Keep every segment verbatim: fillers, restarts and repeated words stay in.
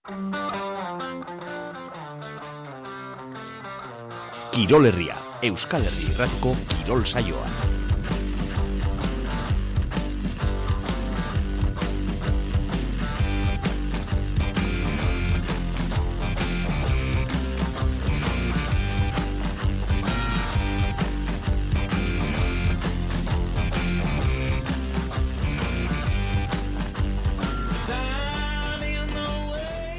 Kirol Herria, Euskal Herri Irratiko kirol saioa.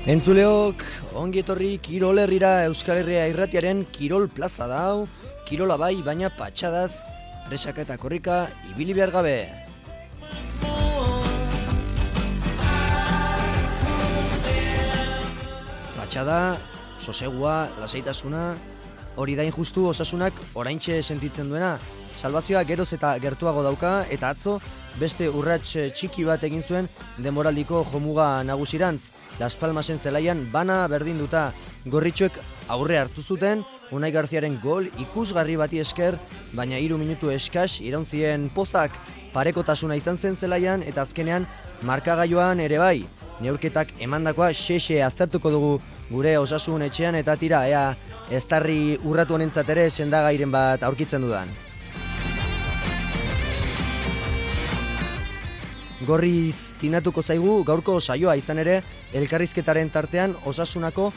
Entzuleok, ongi etorri Kirol Herrira Euskal Herria Irratiaren Kirol Plaza dau, kirola bai, baina patxadaz, presaka eta korrika, ibili behar gabe. Patxada, sosegua, lasaitasuna, hori da injustu Osasunak oraintxe sentitzen duena. Salbazioa geroz eta gertuago dauka, eta atzo beste urrats txiki bat egin zuen denboraldiko jomuga nagusirantz. Las Palmasen zelaian bana berdinduta, gorritxoek aurre hartu zuten, Unai Garziaren gol ikusgarri bati esker, baina hiru minutu eskas irauntzien pozak parekotasuna izan zen zelaian, eta azkenean markagailuan ere bai. Neurketak emandakoa xexe aztertuko dugu gure Osasun etxean, eta tira, ea eztarri urratu honentzat ere sendagairen bat aurkitzen dudan. Gorriz tinatuko zaigu gaurko saioa, izan ere, elkarrizketaren tartean Osasunako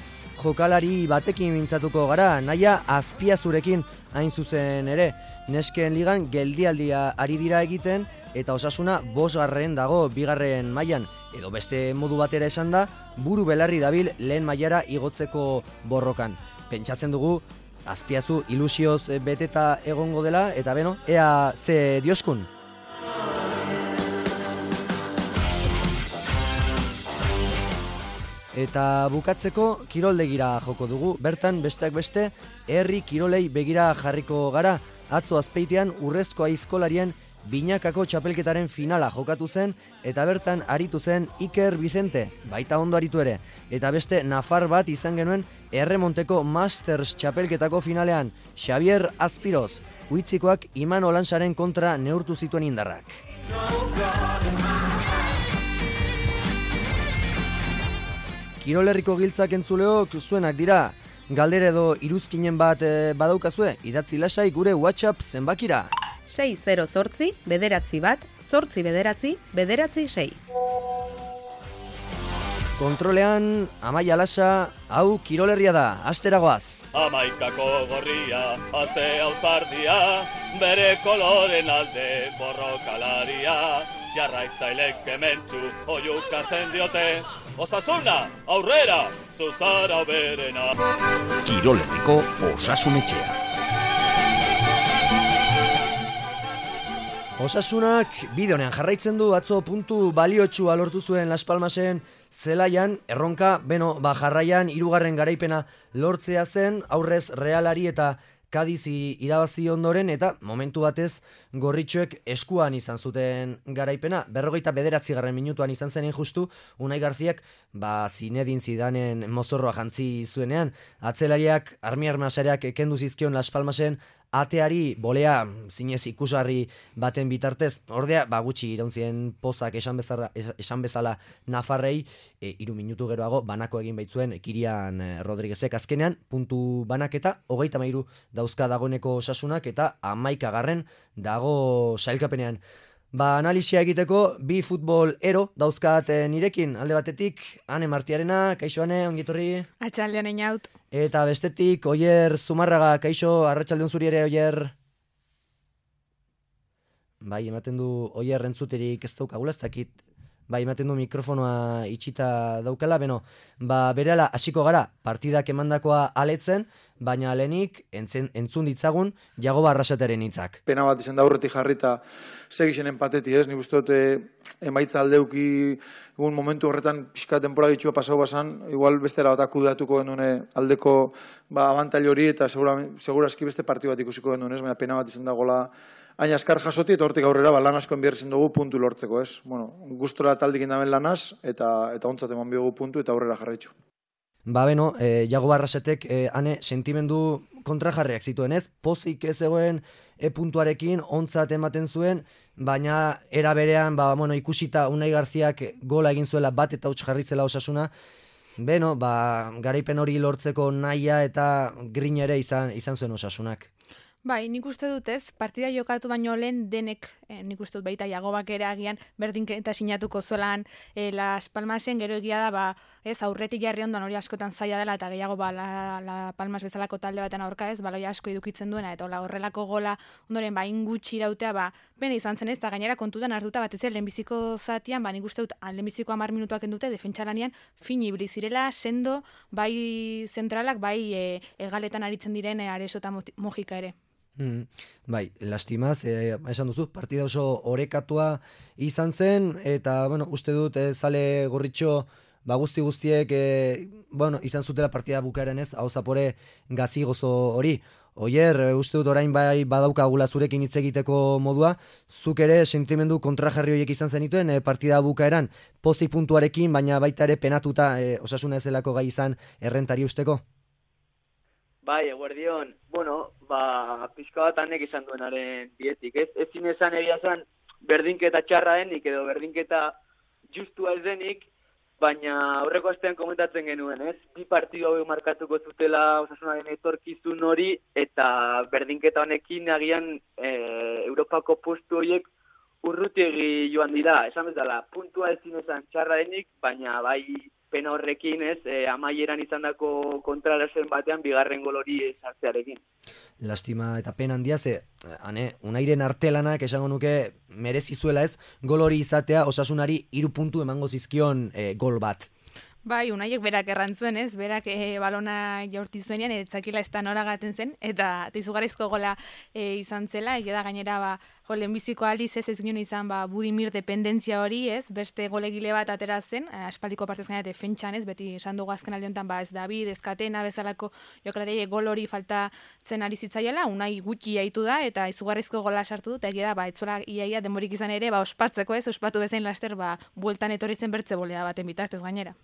jokalari batekin mintzatuko gara, Naia Azpiazurekin hain zuzen ere. Nesken ligan geldialdia ari dira egiten, eta Osasuna bosgarren dago bigarren mailan, edo beste modu batera esan da, buru belarri dabil lehen mailara igotzeko borrokan. Pentsatzen dugu Azpiazu ilusioz beteta egongo dela, eta beno, ea ze dioskun. Eta bukatzeko kiroldegira joko dugu, bertan besteak beste herri kirolei begira jarriko gara. Atzo Azpeitian Urrezko Aizkolarien binakako txapelketaren finala jokatu zen, eta bertan aritu zen Iker Vicente, baita ondo aritu ere. Eta beste nafar bat izan genuen erremonteko Masters txapelketako finalean, Xavier Azpiroz, Uitzikoak Iman Olansaren kontra neurtu zituen indarrak. Kirol Herriko giltzak entzuleok zuenak dira. Galdera edo iruzkinen bat e, badaukazue, idatzi lasai gure WhatsApp zenbakira. sei zero zortzi, bederatzi bat, zortzi bederatzi, bederatzi sei. Kontrolean, Amaia Lasa, hau Kirol Herria da, asteragoaz. Amaikako gorria, ate auzardia, bere koloren alde borrokalaria, jarraitzailek kementsu oiukatzen diote, Osasuna, aurrera, zuzara berena. Kirol Herriko Osasun etxea. Osasunak bideonean jarraitzen du, atzo puntu baliotsua lortu zuen Las Palmasen zelaian, erronka, beno, ba jarraian hirugarren garaipena lortzea zen, aurrez Realari eta Kadizi irabazi ondoren, eta momentu batez gorritxoek eskuan izan zuten garaipena. Berrogeita bederatzigarren minutuan izan zen justu, Unai Garziak ba Zinedine Zidanen mozorroa jantzi zuenean. Atzelariak armi-armasareak kendu zizkion Las Palmasen ateari bolea zinez ikusgarri baten bitartez. Ordea, ba gutxi irauntzien pozak esan bezala, esan bezala Nafarrei, e, iru minutu geroago banako egin baitzuen Kirian Rodriguezek. Azkenean, puntu banaketa, hogeita hamairu dauzka dagoeneko Osasunak, eta hamaikagarren dago sailkapenean. Ba, analisia egiteko bi futbol ero dauzkat nirekin, alde batetik Ane Martiarena, kaixo Ane, ongitorri. Atxaldean einaut. Eta bestetik Oier Zumarraga, kaixo, arratsaldeon zuri ere, Oier. Bai, ematen du Oier entzuterik ez daukagula, ez dakit. Bai, ematen du mikrofonoa itxita daukala, beno, ba, berehala hasiko gara, partidak emandakoa aletzen, baina lehenik entzen, entzun ditzagun Jagoba Arrasateren hitzak. Pena bat izan da aurretik jarrita segixen empateti, ez? Nik uste dut emaitza aldeuki egun momentu horretan pixka denbora gitxua pasau basan, igual bestera bat akudatuko genuen aldeko ba, abantail hori, eta segura, seguraski beste partidu bat ikusiko genuen, ez? Baina pena bat izan dagoela hain askar jasoti, eta hortik aurrera ba, lan asko enbiarrezen dugu puntu lortzeko, ez? Bueno, gustora taldik indamen lanaz, eta, eta ontzat eman biogu puntu, eta aurrera jarraitzu. Ba beno, e, Jagoba Arrasatek e, ane sentimendu kontrajarriak zituen, ez? Pozik ez zegoen e puntuarekin ontzat ematen zuen, baina era berean, ba, bueno, ikusita Unai Garziak gola egin zuela bat eta huts jarritzela Osasuna, beno, ba, garaipen hori lortzeko nahia eta grin ere izan, izan zuen Osasunak. Bai, nik uste dut ez, partida jokatu baino lehen denek, eh, nik uste dut baita Jagobak ere agian berdinketa sinatuko zuelan eh, Las Palmasen, gero egia da, ba, ez, aurretik jarri ondoan hori askotan zaila dela, eta gehiago ba, la, la Palmas bezalako talde baten aurka ez, baloia asko edukitzen duena, eta hola, horrelako gola, ondoren, ba, ingutxi irautea, ba, pena izan zen ez, eta gainera kontutan hartuta bat ez, lehenbiziko zatian, ba, nik uste dut, lehenbiziko hamar minutuak endute, defentsalanean, fin ibili zirela, sendo, bai zentralak, bai e, egaletan aritzen diren e, Areso eta Mojika ere. Mm, bai, lastimaz, eh, esan duzu, partida oso orekatua izan zen, eta, bueno, uste dut, eh, zale gorritxo, ba, guzti guztiek, eh, bueno, izan zutela partida bukaeren ez, hau zapore gazi gozo hori. Oier, uste dut orain bai badaukagula zurekin hitz egiteko modua, zuk ere sentimendu kontrajarri horiek izan zenituen e, partida bukaeran, pozik puntuarekin, baina baita ere penatuta e, Osasuna ezelako gai izan errentari usteko? Bai, eguerdion, bueno, ba, pixka bat anek izan duenaren dietik, ez? Ez zinezan egia zan berdinketa txarra denik edo berdinketa justua ez denik, baina aurreko astean komentatzen genuen, ez? Bi partidu hau markatuko zutela Osasunaren etorkizun hori, eta berdinketa honekin agian e, Europako postu horiek urrutiegi joan dira, esan bezala, puntua ez zinezan txarra denik, baina bai pena horrekin, ez, e, amaieran izandako kontrarasen batean bigarren gol hori sartzearekin. Lastima eta pena handia ze, ane, Unairen artelanak esango nuke merezi zuela ez, gol hori izatea Osasunari hiru puntu emango zizkion e, gol bat. Bai, Unaiek berak errantzuen, ez? Berak e, balona jaurti zuenean, etzakila ez da noragaten zen, eta izugarrizko gola e, izan zela, egia da gainera, ba, jo, lehenbiziko aldiz ez ez ginen izan, ba, Budimir dependentzia hori, ez? Beste golegile bat atera zen, aspaldiko partez gaina defentsan, ez? Beti esan dugu azken aldi honetan, ba, ez David, ez Katena, bezalako jokalari gol hori faltatzen ari zitzaiela, Unai gutxi jaitu da, eta izugarrizko gola sartu dut, egia da, ba, etzuela iaia denborik izan ere, ba, ospatzeko, ez? Ospatu bezain laster, ba, bueltan etorri zen bertze bolea baten bitartez gainera.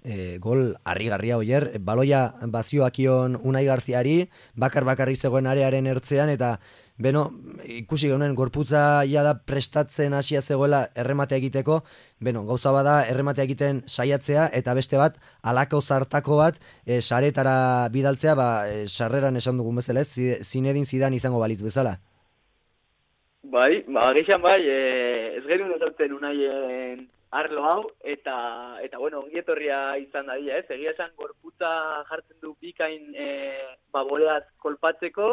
E, gol harrigarria Oier, baloia bazioakion Unai Garziari, bakar bakarrik zegoen arearen ertzean, eta beno, ikusi geunen gorputza ja da prestatzen hasia zegoela errematea egiteko, beno, gauza bada errematea egiten saiatzea, eta beste bat, alako zartako bat, e, saretara bidaltzea, ba, e, sarreran esan dugun bezala, ez, Zinedin Zidan izango balitz bezala. Bai, ba, geixan bai, e, ez gerun ezautzen Unaien arlo hau, eta, eta bueno, ongietorria izan da dira, ez? Egia esan gorputza jartzen du bikain e, baboleaz kolpatzeko,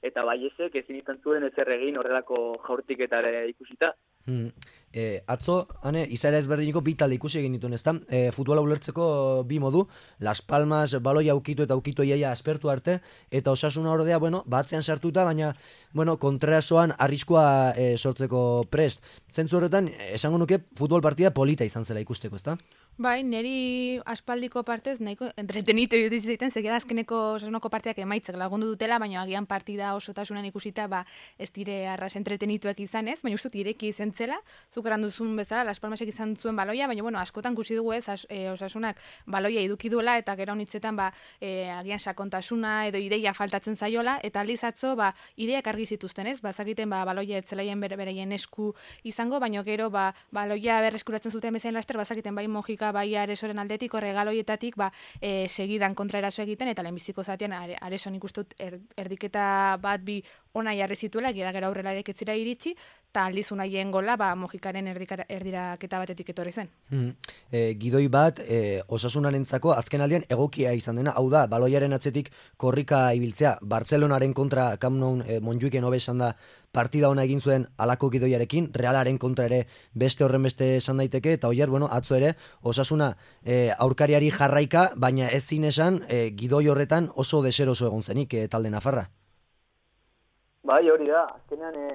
eta baiezek ezin izan zuen ezer egin horrelako jaurtiketare ikusita. Hmm. E, atzo, ane, izaera ezberdiniko bi talde ikusi egin dituen, ezta? E, futbola ulertzeko bi modu, Las Palmas baloia aukitu eta aukitu iaia aspertu arte, eta Osasuna ordea, bueno, batzean sartuta, baina, bueno, kontrasoan arriskua e, sortzeko prest. Zentzu horretan, esango nuke futbol partida polita izan zela ikusteko, ezta? Bai, neri aspaldiko partez nahiko entretenitu iruditu zaiten, zekera azkeneko Osasunako partidak emaitzak lagundu dutela, baina agian partida osotasunan ikusita, ba, ez dire arras entretenituak izan ez, baina ustut ireki izan zela, zukeran duzun bezala, Las Palmasek izan zuen baloia, baina bueno, askotan kusi dugu ez, as, e, Osasunak baloia eduki duela, eta gero honitzetan, ba, e, agian sakontasuna edo ideia faltatzen zaiola, eta aldiz atzo, ba, ideiak argi zituzten ez, bazakiten, ba, baloia etzelaien bere, bereien esku izango, baina gero, ba, baloia berreskuratzen zuten bezain laster, bazakiten bai Mojika bai Aresoren aldetik, horregaloietatik, ba, e, segidan kontraeraso egiten, eta lehenbiziko zatean are, Areson ikustut er, erdiketa bat bi ona jarri zituela, gira gara aurrela ere ketzira iritsi, eta aldiz Unaien gola, ba, Mojikaren erdikara, erdiraketa batetik etorri zen. Mm. E, gidoi bat, e, Osasunarentzako azken aldian egokia izan dena, hau da, baloiaren atzetik korrika ibiltzea, Bartzelonaren kontra Camp Nou e, Montjuiken hobe esan da partida ona egin zuen alako gidoiarekin, Realaren kontra ere beste horren beste esan daiteke, eta Oier, bueno, atzo ere, Osasuna e, aurkariari jarraika, baina ez zin esan e, gidoi horretan oso deseroso egon zenik e, talde nafarra. Bai, hori da, azkenean e,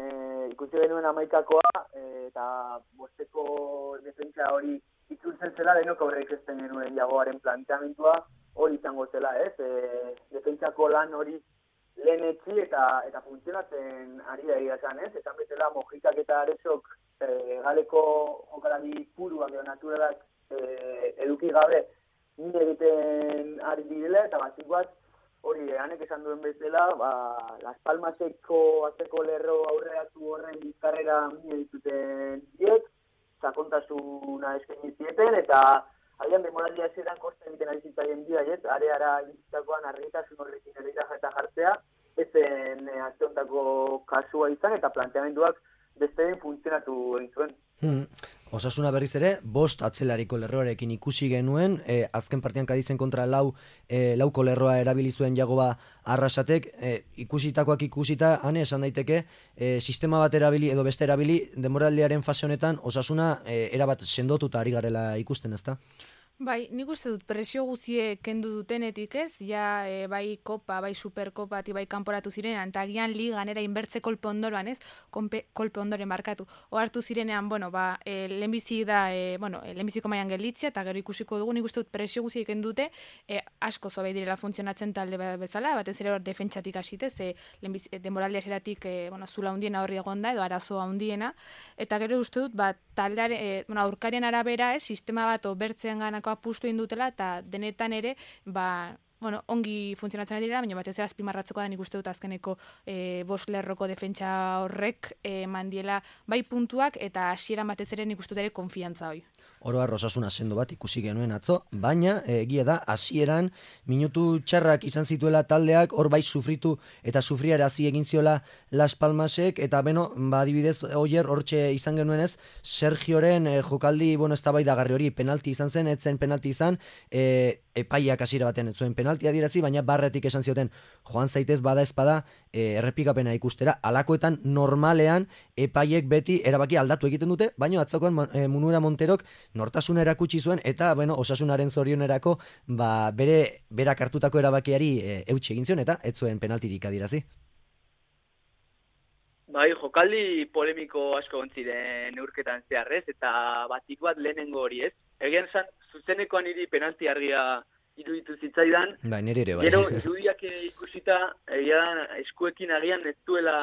ikusi genuen amaikakoa, e, eta bosteko defentsa hori itzultzen zela, denok aurreik ezten genuen Jagoaren planteamentua hori izango zela, ez? E, defentsako lan hori lehen etxi eta, eta funtzionatzen ari da egia esan, ez? Eta betela Mojikak eta Aresok e, galeko jokalari puruak edo naturalak e, eduki gabe nire egiten ari direla, eta batik bat hori, hanek esan duen bezala, ba, Las Palmaseko atzeko lerro aurreatu horren bizkarrera mine dituten diek, sakontasuna eskaini zieten, eta Agian demoraldia ezeran kosta egiten ari zitzaien bi haiet, areara iritsitakoan argitasun horrekin ere eta jartzea, ezen e, azteontako kasua izan eta planteamenduak beste funtzionatu egin zuen. Hmm. Osasuna berriz ere, bost atzelariko lerroarekin ikusi genuen, e, azken partian Kadizen kontra lau, e, lauko lerroa erabili zuen Jagoba Arrasatek, e, ikusitakoak ikusita, hane esan daiteke, e, sistema bat erabili edo beste erabili, denboraldiaren fase honetan Osasuna e, erabat sendotuta ari garela ikusten, ezta? Bai, nik uste dut presio guzie kendu dutenetik ez, ja e, bai kopa, bai superkopa, bai kanporatu zirenean, eta agian ligan era inbertze kolpe ondoran ez, Konpe, kolpe ondoren markatu. Ohartu zirenean, bueno, ba, e, lehenbizi da, e, bueno, e, lehenbiziko mailan gelditzea, eta gero ikusiko dugu, nik uste dut presio guzie kendu dute, e, asko zobe direla funtzionatzen talde bezala, batez ere hor defentsatik hasitez, e, e, denboraldia eseratik, e, bueno, zula hundiena horri egonda, edo arazoa hundiena, eta gero uste dut, ba, taldeare, e, bueno, aurkarien arabera ez, sistema bat obertzean ganako apustu indutela eta denetan ere ba, bueno, ongi funtzionatzen ari dira, baina batez ere azpimarratzekoa da nik uste dut azkeneko e, bost lerroko defentsa horrek e, mandiela bai puntuak eta hasieran batez ere nik uste dut ere konfiantza hori. Oro har Osasuna sendo bat ikusi genuen atzo, baina egia da hasieran minutu txarrak izan zituela taldeak, hor bai sufritu eta sufriarazi egin ziola Las Palmasek, eta beno, ba adibidez Oier hortxe izan genuenez, Sergioren e, jokaldi, bueno, eztabaidagarri hori penalti izan zen, etzen penalti izan, e, epaiak hasiera baten ez zuen penalti adierazi, baina barretik esan zioten joan zaitez bada espada e, errepikapena ikustera, alakoetan normalean epaiek beti erabaki aldatu egiten dute, baina atzokoan e, Munura Monterok nortasuna erakutsi zuen eta bueno, Osasunaren zorionerako ba, bere berak hartutako erabakiari e, eutsi egin zion eta ez zuen penaltirik adierazi. Bai, jokaldi polemiko asko ontziren neurketan zeharrez eta batik bat lehenengo hori ez. Egian esan, zuzenekoan hiri penalti argia iruditu zitzaidan. Bai, nire ere bai. Gero, irudiak ikusita, egian eskuekin agian ez duela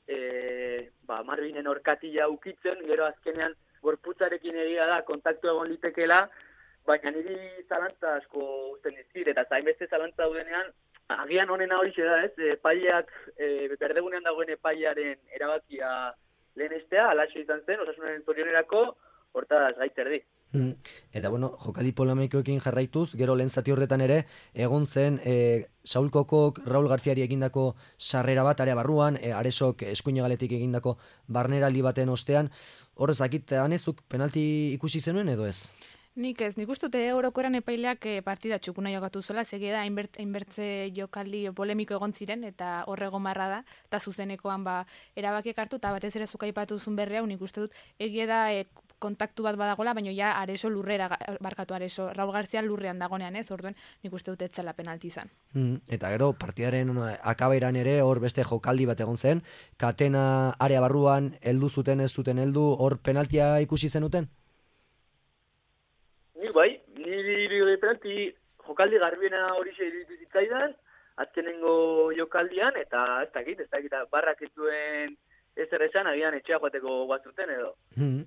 e, ba, Marvinen orkatila ukitzen, gero azkenean gorputzarekin egia da, kontaktu egon litekeela, baina niri zalantza asko uzten dizkit, eta zainbeste zalantza daudenean, agian honena hori da ez, epaileak, e, berdegunean dagoen epailearen erabakia lehenestea, alaxo izan zen, Osasunaren zorionerako, hortaz gaiterdi. Mm. Eta bueno, jokali polemikoekin jarraituz, gero lehen zati horretan ere, egon zen e, Saul Kokok, Raul Garziari egindako sarrera bat, area barruan, e, Aresok eskuinegaletik egindako barneraldi baten ostean, horrez dakit, anezuk penalti ikusi zenuen edo ez? Nik ez, nik uste dute orokoran epaileak partida txukuna jokatu zuela, zege da, hainbertze jokaldi polemiko egon ziren, eta horrego marra da, eta zuzenekoan ba, erabakiek hartu, eta batez ere zuka aipatu zuen berri hau, nik uste dut, egie da e, kontaktu bat badagola, baina ja Areso lurrera, barkatu Areso, Raul Garzia lurrean dagonean ez, orduen nik uste dut etzela penalti izan. Mm, eta gero, partidaren no, akabairan ere, hor beste jokaldi bat egon zen, Katena area barruan, heldu zuten ez zuten heldu, hor penaltia ikusi zenuten? Ni bai, niri penalti jokaldi garbiena hori iruditu zitzaidan, azkenengo jokaldian, eta ez dakit, ez dakit, barrak ez duen ezer esan, agian etxea joateko guazuten edo. Hmm.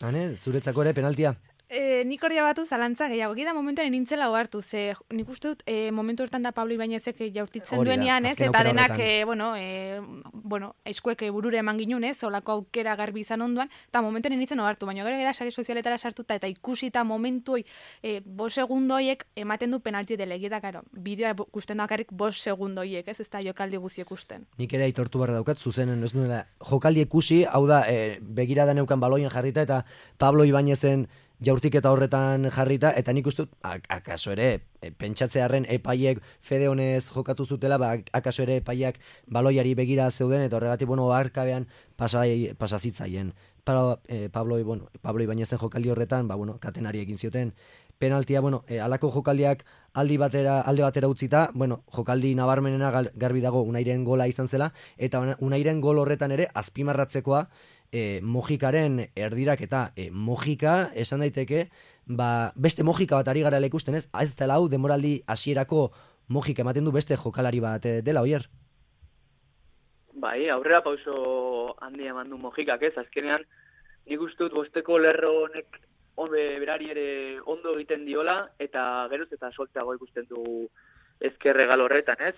Hane, zuretzako ere penaltia? E, nik hori batu zalantza gehiago, gida momentuan nintzela ohartu, ze nik uste dut e, momentu hortan da Pablo Ibañezek jaurtitzen duenean, ez, eta denak, e, bueno, e, bueno, eskuek burure eman ginun, ez, olako aukera garbi izan onduan, eta momentuan nintzen ohartu, baina gero gara sare sozialetara sartuta, eta ikusita momentu hoi, e, bos segundo hoiek ematen du penalti dela, eta karo, bideoa gusten dakarrik bos segundo hoiek, ez, ez da jokaldi guzi ikusten. Nik ere aitortu barra daukat, zuzenen, ez nuela, jokaldi ikusi, hau da, e, begirada neukan baloien jarrita, eta Pablo Ibañezen jaurtiketa horretan jarrita, eta nik uste, akaso ere, pentsatzearen epaiek fede honez jokatu zutela, ba, akaso ere epaiak baloiari begira zeuden, eta horregatik, bueno, arkabean pasazitzaien. Pablo, eh, Pablo, bueno, Pablo Ibañezen jokaldi horretan, ba, bueno, Katenari egin zioten penaltia, bueno, eh, alako jokaldiak aldi batera, alde batera utzita, bueno, jokaldi nabarmenena garbi dago Unairen gola izan zela, eta Unairen gol horretan ere, azpimarratzekoa, E, Mojikaren erdirak eta e, Mojika esan daiteke ba, beste Mojika bat ari gara ikusten ez, ez dela hau demoraldi hasierako Mojika ematen du beste jokalari bat e, dela, Oier? Bai, aurrera pauso handia eman du Mojikak ez, azkenean nik uste dut bosteko lerro honek onbe berari ere ondo egiten diola, eta geroz eta solteago ikusten du ezkerre gal horretan ez,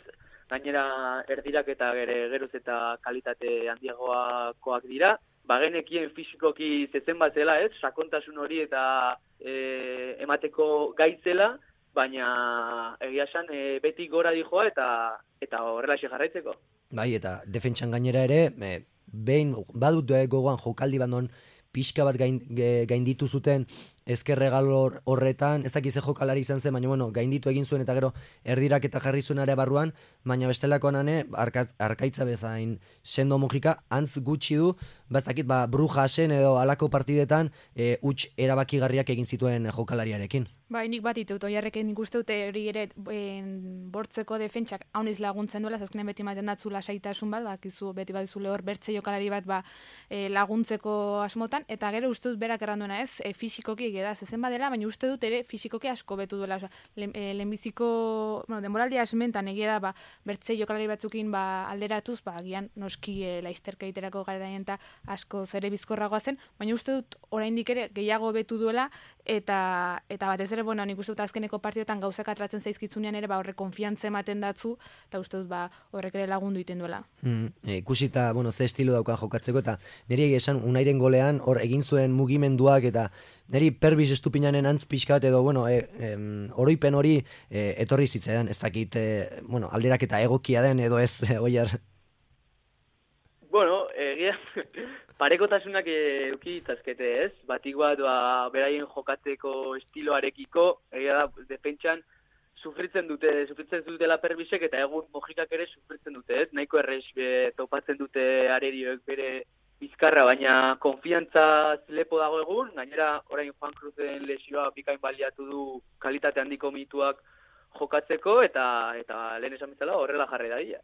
gainera erdirak eta gere geroz eta kalitate handiagoakoak dira, bagenekien fisikoki zezen bat zela, ez? Sakontasun hori eta e, emateko gaitzela, baina egia esan e, beti gora dijoa eta eta horrelaxe jarraitzeko. Bai, eta defentsan gainera ere, e, behin badut gogoan jokaldi bandon pixka bat gain, gainditu zuten ezkerregal horretan, ez dakiz jokalari izan zen, baina bueno, gainditu egin zuen eta gero erdirak eta jarri zuen ere barruan, baina bestelakoan ane, arka, arkaitza bezain sendo mojika, antz gutxi du, ba ez dakit, ba, Brujasen edo alako partidetan, e, huts erabakigarriak egin zituen jokalariarekin. Bai, nik bat iteut, oiarreken nik uste dute hori ere en, bortzeko defentsak hauniz laguntzen duela, zazkenen beti maten datzu lasaitasun bat, bakizu beti bat zule hor bertze jokalari bat ba, e, laguntzeko asmotan, eta gero uste dut berak erranduena ez, e, fisikoki egeda zezen badela, baina uste dut ere fisikoki asko betu duela, oza, lehenbiziko, bueno, denboraldia esmentan egeda ba, bertze jokalari batzukin ba, alderatuz, ba, agian noski e, laizterka iterako garaien eta asko zere bizkorragoa zen, baina uste dut oraindik ere gehiago betu duela, eta, eta batez ere bueno, nik uste dut azkeneko partiotan gauzak atratzen zaizkitzunean ere ba horre konfiantza ematen datzu, eta uste dut ba horrek ere lagundu iten duela. Mm, e, ikusita, bueno, ze estilo daukan jokatzeko, eta niri egia esan Unairen golean hor egin zuen mugimenduak, eta niri Perbis estupinanen antz pixkat edo, bueno, e, e, oroipen hori e, etorri zitzaidan, ez dakit, e, bueno, alderak eta egokia den edo ez, e, oiar. Bueno, egia... Parekotasunak euki ditzazkete, ez? Batik bat, ba, beraien jokatzeko estiloarekiko, egia da, defentsan sufritzen dute, sufritzen dutela Perbisek, eta egun mojikak ere sufritzen dute, ez? Nahiko errez topatzen dute arerioek bere bizkarra, baina konfiantza lepo dago egun, gainera orain Juan Cruzen lesioa bikain baliatu du kalitate handiko mituak jokatzeko, eta eta lehen esan bezala horrela jarri da dira.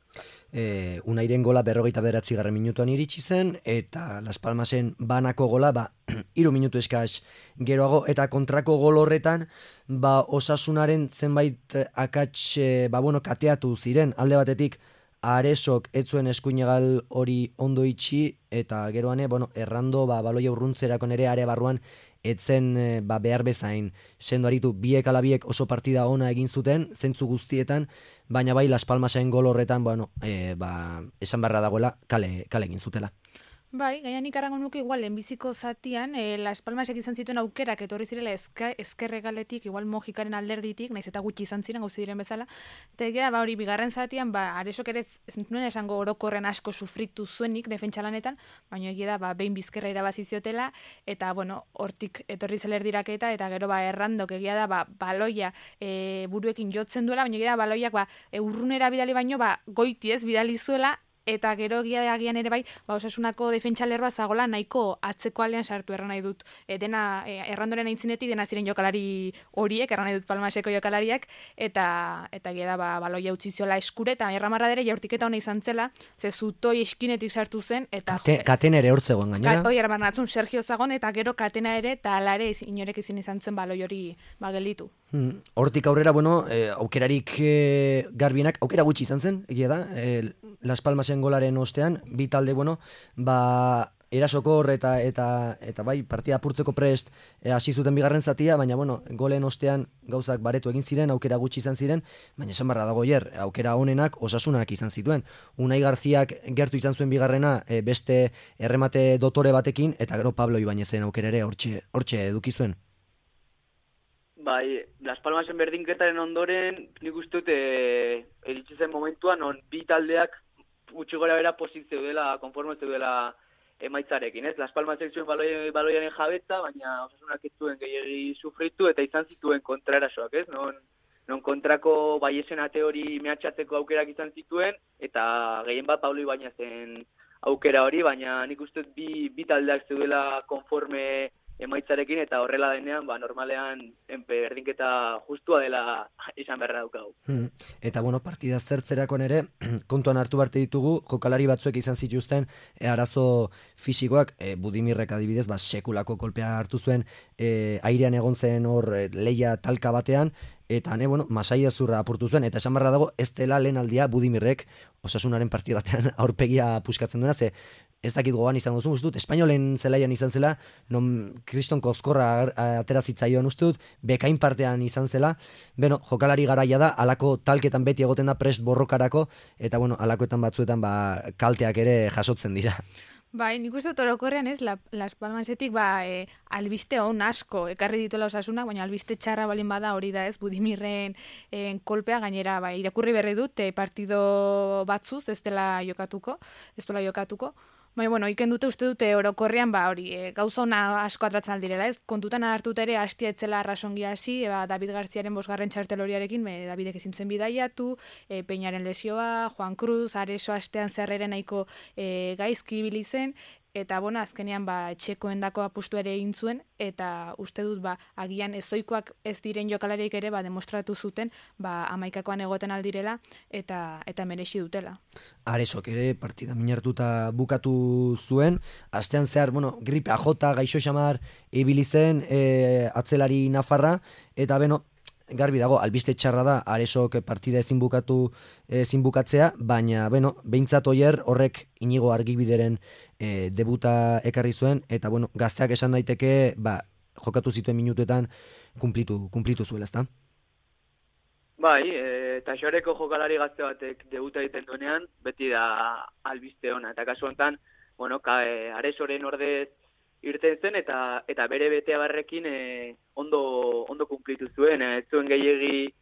E, Unairen gola berrogeita bederatzi garren minutuan iritsi zen, eta Las Palmasen banako gola, ba, hiru minutu eskaz geroago, eta kontrako gol horretan, ba, Osasunaren zenbait akats, ba, bueno, kateatu ziren, alde batetik, Aresok etzuen eskuinegal hori ondo itxi, eta geroane, bueno, errando, ba, baloia urruntzerako nere are barruan, etzen ba, behar bezain sendo aritu, biek ala biek oso partida ona egin zuten, zentzu guztietan, baina bai Las Palmasen gol horretan, bueno, e, ba, esan barra dagoela, kale, kale egin zutela. Bai, gaian ikarrango nuke igual lehenbiziko zatian, e, Las Palmasek izan zituen aukerak etorri zirela ezka, ezkerregaletik, igual Mojikaren alderditik, naiz eta gutxi izan ziren gauzi diren bezala, eta ba, hori bigarren zatian, ba, Aresok ere ez nuen esango orokorren asko sufritu zuenik defentsalanetan, baina egia da, ba, behin bizkerra irabazi ziotela, eta, bueno, hortik etorri zeler diraketa, eta gero, ba, errandok egia da, ba, baloia e, buruekin jotzen duela, baina egia da, baloiak, ba, e, urrunera bidali baino, ba, goiti ez bidali zuela, eta gero agian ere bai, ba, Osasunako defentsalerroa zagola nahiko atzeko aldean sartu erran nahi dut. E, dena, e, errandoren aintzinetik dena ziren jokalari horiek, erran nahi dut Palmaseko jokalariak, eta eta gira ba, baloia utzi ziola eskure, eta erramarra dere jaurtiketa hona izan zela, ze zutoi eskinetik sartu zen, eta... Kate, katena ere hortzegoen gainera. Oi, erramarratzun Sergio Zagon, eta gero katena ere, eta alare inorek izin izan zuen baloi hori ba, gelditu. Hmm. Hortik aurrera, bueno, eh, aukerarik eh, garbienak, aukera gutxi izan zen, egia da, eh, Las Palmasen golaren ostean, bi talde, bueno, ba, erasokor eta, eta, eta bai, partida apurtzeko prest hasi zuten bigarren zatia, baina, bueno, golen ostean gauzak baretu egin ziren, aukera gutxi izan ziren, baina esan barra dago hier, aukera honenak Osasunak izan zituen. Unai Garziak gertu izan zuen bigarrena e, beste erremate dotore batekin, eta gero Pablo Ibañezen aukera ere hortxe, hortxe eduki zuen. Bai, Las Palmasen berdinketaren ondoren, nik uste dut e, eritsi zen momentuan, on bi taldeak gutxi gora bera pozik zeudela, konforme zeudela emaitzarekin, ez? Las Palmasek zuen baloi, baloiaren jabetza, baina Osasunak ez zuen gehiagi sufritu eta izan zituen kontraerasoak, ez? Non, non kontrako baiesen ate hori mehatxatzeko aukerak izan zituen, eta gehien bat Pablo Ibañezen aukera hori, baina nik uste dut bi, bi taldeak zeudela konforme emaitzarekin, eta horrela denean, ba, normalean berdinketa justua dela izan beharra daukagu. Hmm. Eta, bueno, partida zertzerakoan ere, kontuan hartu barte ditugu, jokalari batzuek izan zituzten, e, arazo fisikoak, e, Budimirrek adibidez, ba, sekulako kolpea hartu zuen, e, airean egon zen hor e, leia talka batean, eta, ne, bueno, masaia zurra apurtu zuen, eta esan barra dago, ez dela lehen aldia Budimirrek Osasunaren partida batean aurpegia puskatzen duena, ze ez dakit gogoan izango zuen, uste dut, Espainolen zelaian izan zela, non Kriston Kozkorra atera zitzaion uste dut, bekain partean izan zela, bueno, jokalari garaia da, alako talketan beti egoten da prest borrokarako, eta bueno, alakoetan batzuetan ba, kalteak ere jasotzen dira. Bai, nik uste dut orokorrean ez, la, Las Palmasetik ba, e, albiste on asko ekarri dituela Osasuna, baina albiste txarra balin bada hori da ez, Budimirren e, kolpea gainera, bai, irakurri berri dut, e, partido batzuz ez dela jokatuko, ez dela jokatuko, baina, bueno, iken dute uste dute orokorrean, ba, hori, e, gauza ona asko atratzen aldirela, ez, kontutan hartut ere hastia etzela arrasongi hasi, e, ba, David Garziaren bosgarren txartel horiarekin, e, Davidek ezin zuen bidaiatu, e, Peñaren lesioa, Juan Cruz, Areso astean zerrere nahiko e, gaizki ibili zen, eta bona, azkenean ba, etxekoendako apustu ere egin zuen, eta uste dut ba, agian ezoikoak ez diren jokalariek ere ba, demostratu zuten ba, amaikakoan egoten aldirela, eta eta merexi dutela. Aresok ere partida minartuta bukatu zuen, astean zehar, bueno, gripe ajota, gaixo xamar ibili zen e, atzelari nafarra, eta beno, garbi dago, albiste txarra da, Aresok partida ezin bukatu ezin bukatzea, baina, bueno, behintzat oier horrek Inigo Argibideren e, debuta ekarri zuen, eta, bueno, gazteak esan daiteke, ba, jokatu zituen minutuetan kumplitu, kumplitu zuela, ezta? Bai, e, eta xoreko jokalari gazte batek debuta egiten duenean, beti da albiste ona, eta kasu honetan, bueno, ka, e, Aresoren ordez irten zen, eta eta bere beteabarrekin e, ondo ondo kumplitu zuen, ez zuen gehiegi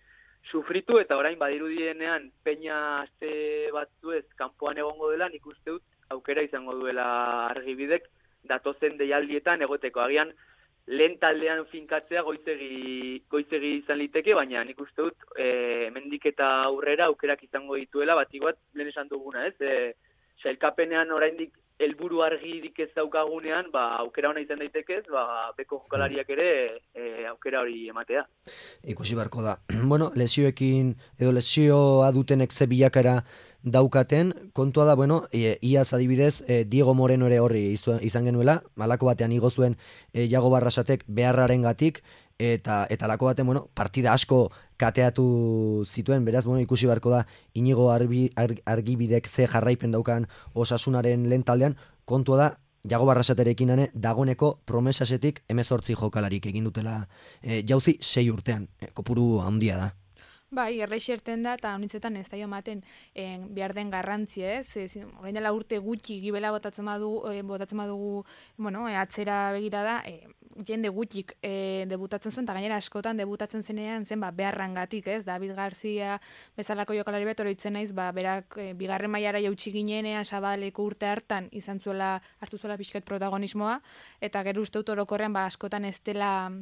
sufritu, eta orain badirudienean Peña aste batzuez kanpoan egongo dela, nik uste dut aukera izango duela Argibidek datozen deialdietan egoteko. Agian lehen taldean finkatzea goizegi, goizegi izan liteke, baina nik uste dut e, mendik eta aurrera aukerak izango dituela, bat iguat lehen esan duguna, ez? E, sailkapenean oraindik helburu argirik ez daukagunean, ba, aukera ona izan daitekez, ba, beko jokalariak ere e, aukera hori ematea. Ikusi barko da. Bueno, lesioekin, edo lesioa dutenek ze bilakara daukaten, kontua da, bueno, e, iaz adibidez, e, Diego Moreno ere horri izan genuela, malako batean igo zuen e, Iago Barrasatek beharraren gatik, eta eta lako baten, bueno, partida asko kateatu zituen, beraz, bueno, ikusi barko da Inigo Arbi, Arg, Argibidek ze jarraipen daukan Osasunaren lehen taldean, kontua da, Iago Barrasaterekin ane, dagoneko promesasetik hemezortzi jokalarik egin dutela e, jauzi sei urtean, e, kopuru handia da. Bai, erreixerten da, eta honitzetan ez da ematen en, behar den garrantzia, ez? ez Horrein dela urte gutxi gibela botatzen badugu, e, botatzen badugu bueno, e, atzera begira da, e, jende gutxik e, debutatzen zuen, eta gainera askotan debutatzen zenean zen ba, beharrangatik, ez? David Garcia bezalako jokalari bet oroitzen naiz, ba, berak e, bigarren mailara jautsi ginenean Sabaleko urte hartan izan zuela, hartu zuela pixket protagonismoa, eta gero uste dut orokorrean ba, askotan ez dela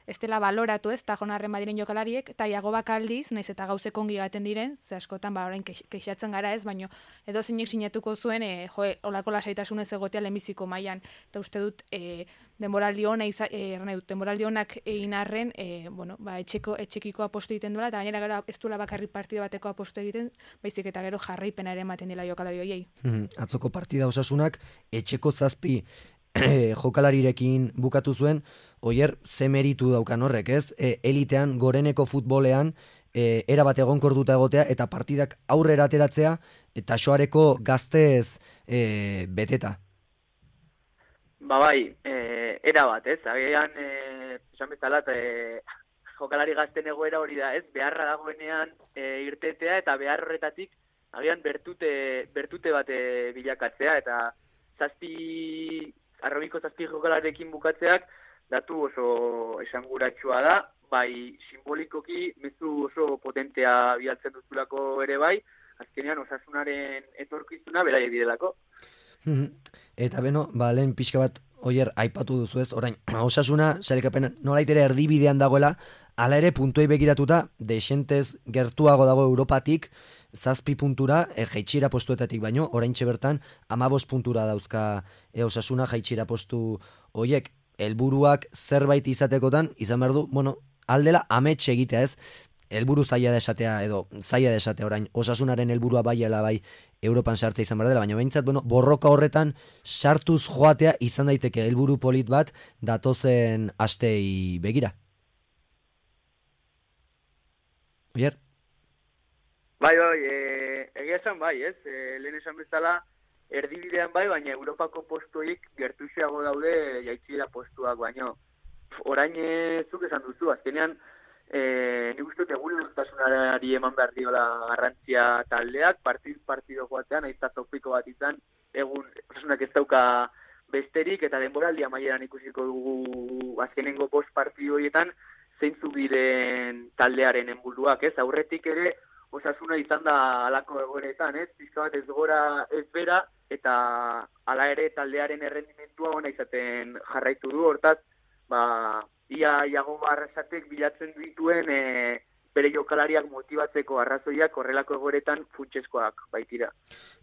ez dela baloratu, ez, eta jonarren badiren jokalariek, eta Iago Bakaldiz, naiz eta gauzek ongi gaten diren, ze askotan ba orain kexatzen gara, ez, baino edo zeinek sinatuko zuen, e, jo, olako lasaitasunez egotea lehenbiziko mailan, eta uste dut e, denboraldi ona iza, e, dut, denboraldi onak egin arren, e, bueno, ba, etxeko, etxekiko apostu egiten duela, eta gainera gero ez duela bakarrik partida bateko apostu egiten, baizik eta gero jarraipena ere ematen dela jokalari horiei. Atzoko partida Osasunak etxeko zazpi jokalarirekin bukatu zuen, oier, ze meritu daukan horrek, ez? E, elitean, goreneko futbolean, e, era bat egonkorduta egotea, eta partidak aurrera ateratzea, eta soareko gaztez e, beteta. Ba bai, e, era bat, ez? Agian, e, esan bezala, e, jokalari gazten egoera hori da, ez? Beharra dagoenean e, irtetea, eta behar horretatik, agian bertute, bertute bat e, bilakatzea, eta zazpi... Arrobiko zazpi jokalarekin bukatzeak datu oso esanguratsua da, bai simbolikoki mezu oso potentea bidaltzen duzulako ere bai, azkenean Osasunaren etorkizuna beraiek direlako. Eta beno, ba, lehen pixka bat oier aipatu duzu ez, orain Osasuna, sailkapenean nolait ere erdibidean dagoela, hala ere puntuei begiratuta, desentez gertuago dago Europatik, zazpi puntura, e, jaitxira postuetatik baino, oraintxe bertan, amabos puntura dauzka e, Osasuna jaitxira postu hoiek, helburuak zerbait izatekotan, izan behar du, bueno, aldela amets egitea ez, helburu zaila da esatea, edo zaila da esatea orain, Osasunaren helburua baiela bai Europan sartzea izan behar dela, baina behintzat, bueno, borroka horretan sartuz joatea izan daiteke helburu polit bat datozen astei begira. Oier? Bai, bai, e, egia esan bai, ez? E, lehen esan bezala, erdibidean bai, baina Europako postuik gertuxeago daude jaitxira postuak, baina orain e, zuk esan duzu, azkenean, e, nik uste egun duztasunari eman behar diola garrantzia taldeak, partiz partido joatean, aizta topiko bat izan, egun Osasunak ez dauka besterik, eta denboraldi amaieran ikusiko dugu azkenengo bost partidu horietan zeintzuk diren taldearen helburuak, ez? Aurretik ere Osasuna izan da halako egoeretan, ez? Pizka bat ez gora ez bera, eta hala ere taldearen errendimentua ona izaten jarraitu du, hortaz, ba, ia Iago Arrasatek bilatzen dituen e, bere jokalariak motibatzeko arrazoiak horrelako egoeretan funtsezkoak baitira.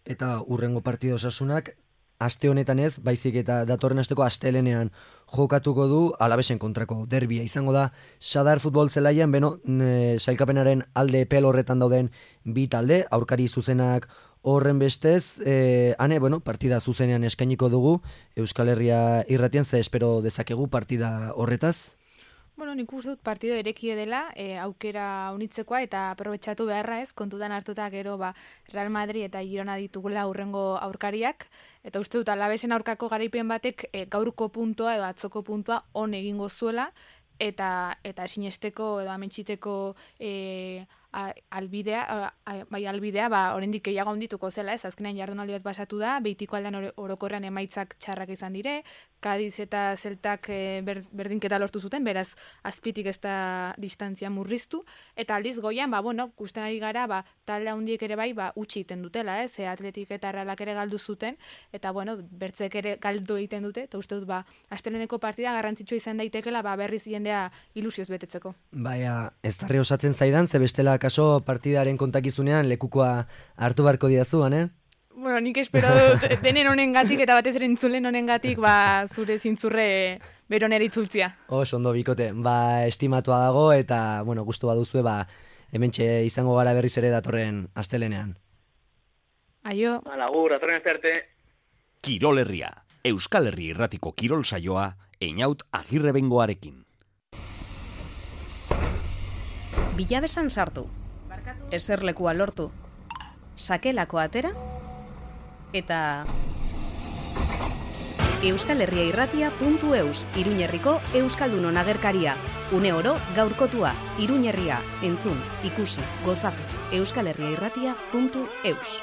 Eta urrengo partido Osasunak aste honetan ez, baizik eta datorren asteko astelenean jokatuko du Alavesen kontrako derbia. Izango da Sadar futbol zelaian, beno, e, sailkapenaren alde epel horretan dauden bi talde, aurkari zuzenak horren bestez, e, ane, bueno, partida zuzenean eskainiko dugu, Euskal Herria irratian, ze espero dezakegu partida horretaz? Bueno, nik uste dut partido erekie dela, e, aukera unitzekoa eta aprobetxatu beharra ez, kontutan hartuta gero ba, Real Madrid eta Girona ditugula aurrengo aurkariak, eta uste dut Alavesen aurkako garaipen batek e, gaurko puntua edo atzoko puntua on egingo zuela, eta eta sinesteko edo ametxiteko e, a, albidea, a, bai albidea, ba, oraindik gehiago handituko zela, ez, azkenean jardunaldi bat pasatu da, Beitiko aldean orokorrean emaitzak txarrak izan dire, Kadiz eta Zeltak e, ber, berdinketa lortu zuten, beraz azpitik ez da distantzia murriztu, eta aldiz goian, ba, bueno, gusten ari gara, ba, talde handiek ere bai, ba, utzi egiten dutela, ez, e, Atletik eta Realak ere galdu zuten, eta, bueno, bertzek ere galdu egiten dute, eta uste dut, ba, asteleneko partida garrantzitsua izan daitekela, ba, berriz jendea ilusioz betetzeko. Baina, ez darre osatzen zaidan, ze bestela kaso partidaren kontakizunean lekukoa hartu barko diazu, eh? Bueno, nik espero dut denen honengatik eta batez ere entzulen honengatik ba, zure zintzurre beronera itzultzia. Oso ondo bikote, ba, estimatua dago eta, bueno, gustu baduzue, ba, hementxe izango gara berriz ere datorren astelenean. Aio. Lagur, datorren aste arte. Kirol Herria, Euskal Herri irratiko kirol saioa, Einaut Agirrebengoarekin. Bilabesan sartu, eserlekua lortu, sakelako atera, eta euskalherriairratia puntu eus, Iruñerriko Euskaldunon agerkaria, une oro gaurkotua, Iruñerria, entzun, ikusi, gozatu, euskalherriairratia puntu eus.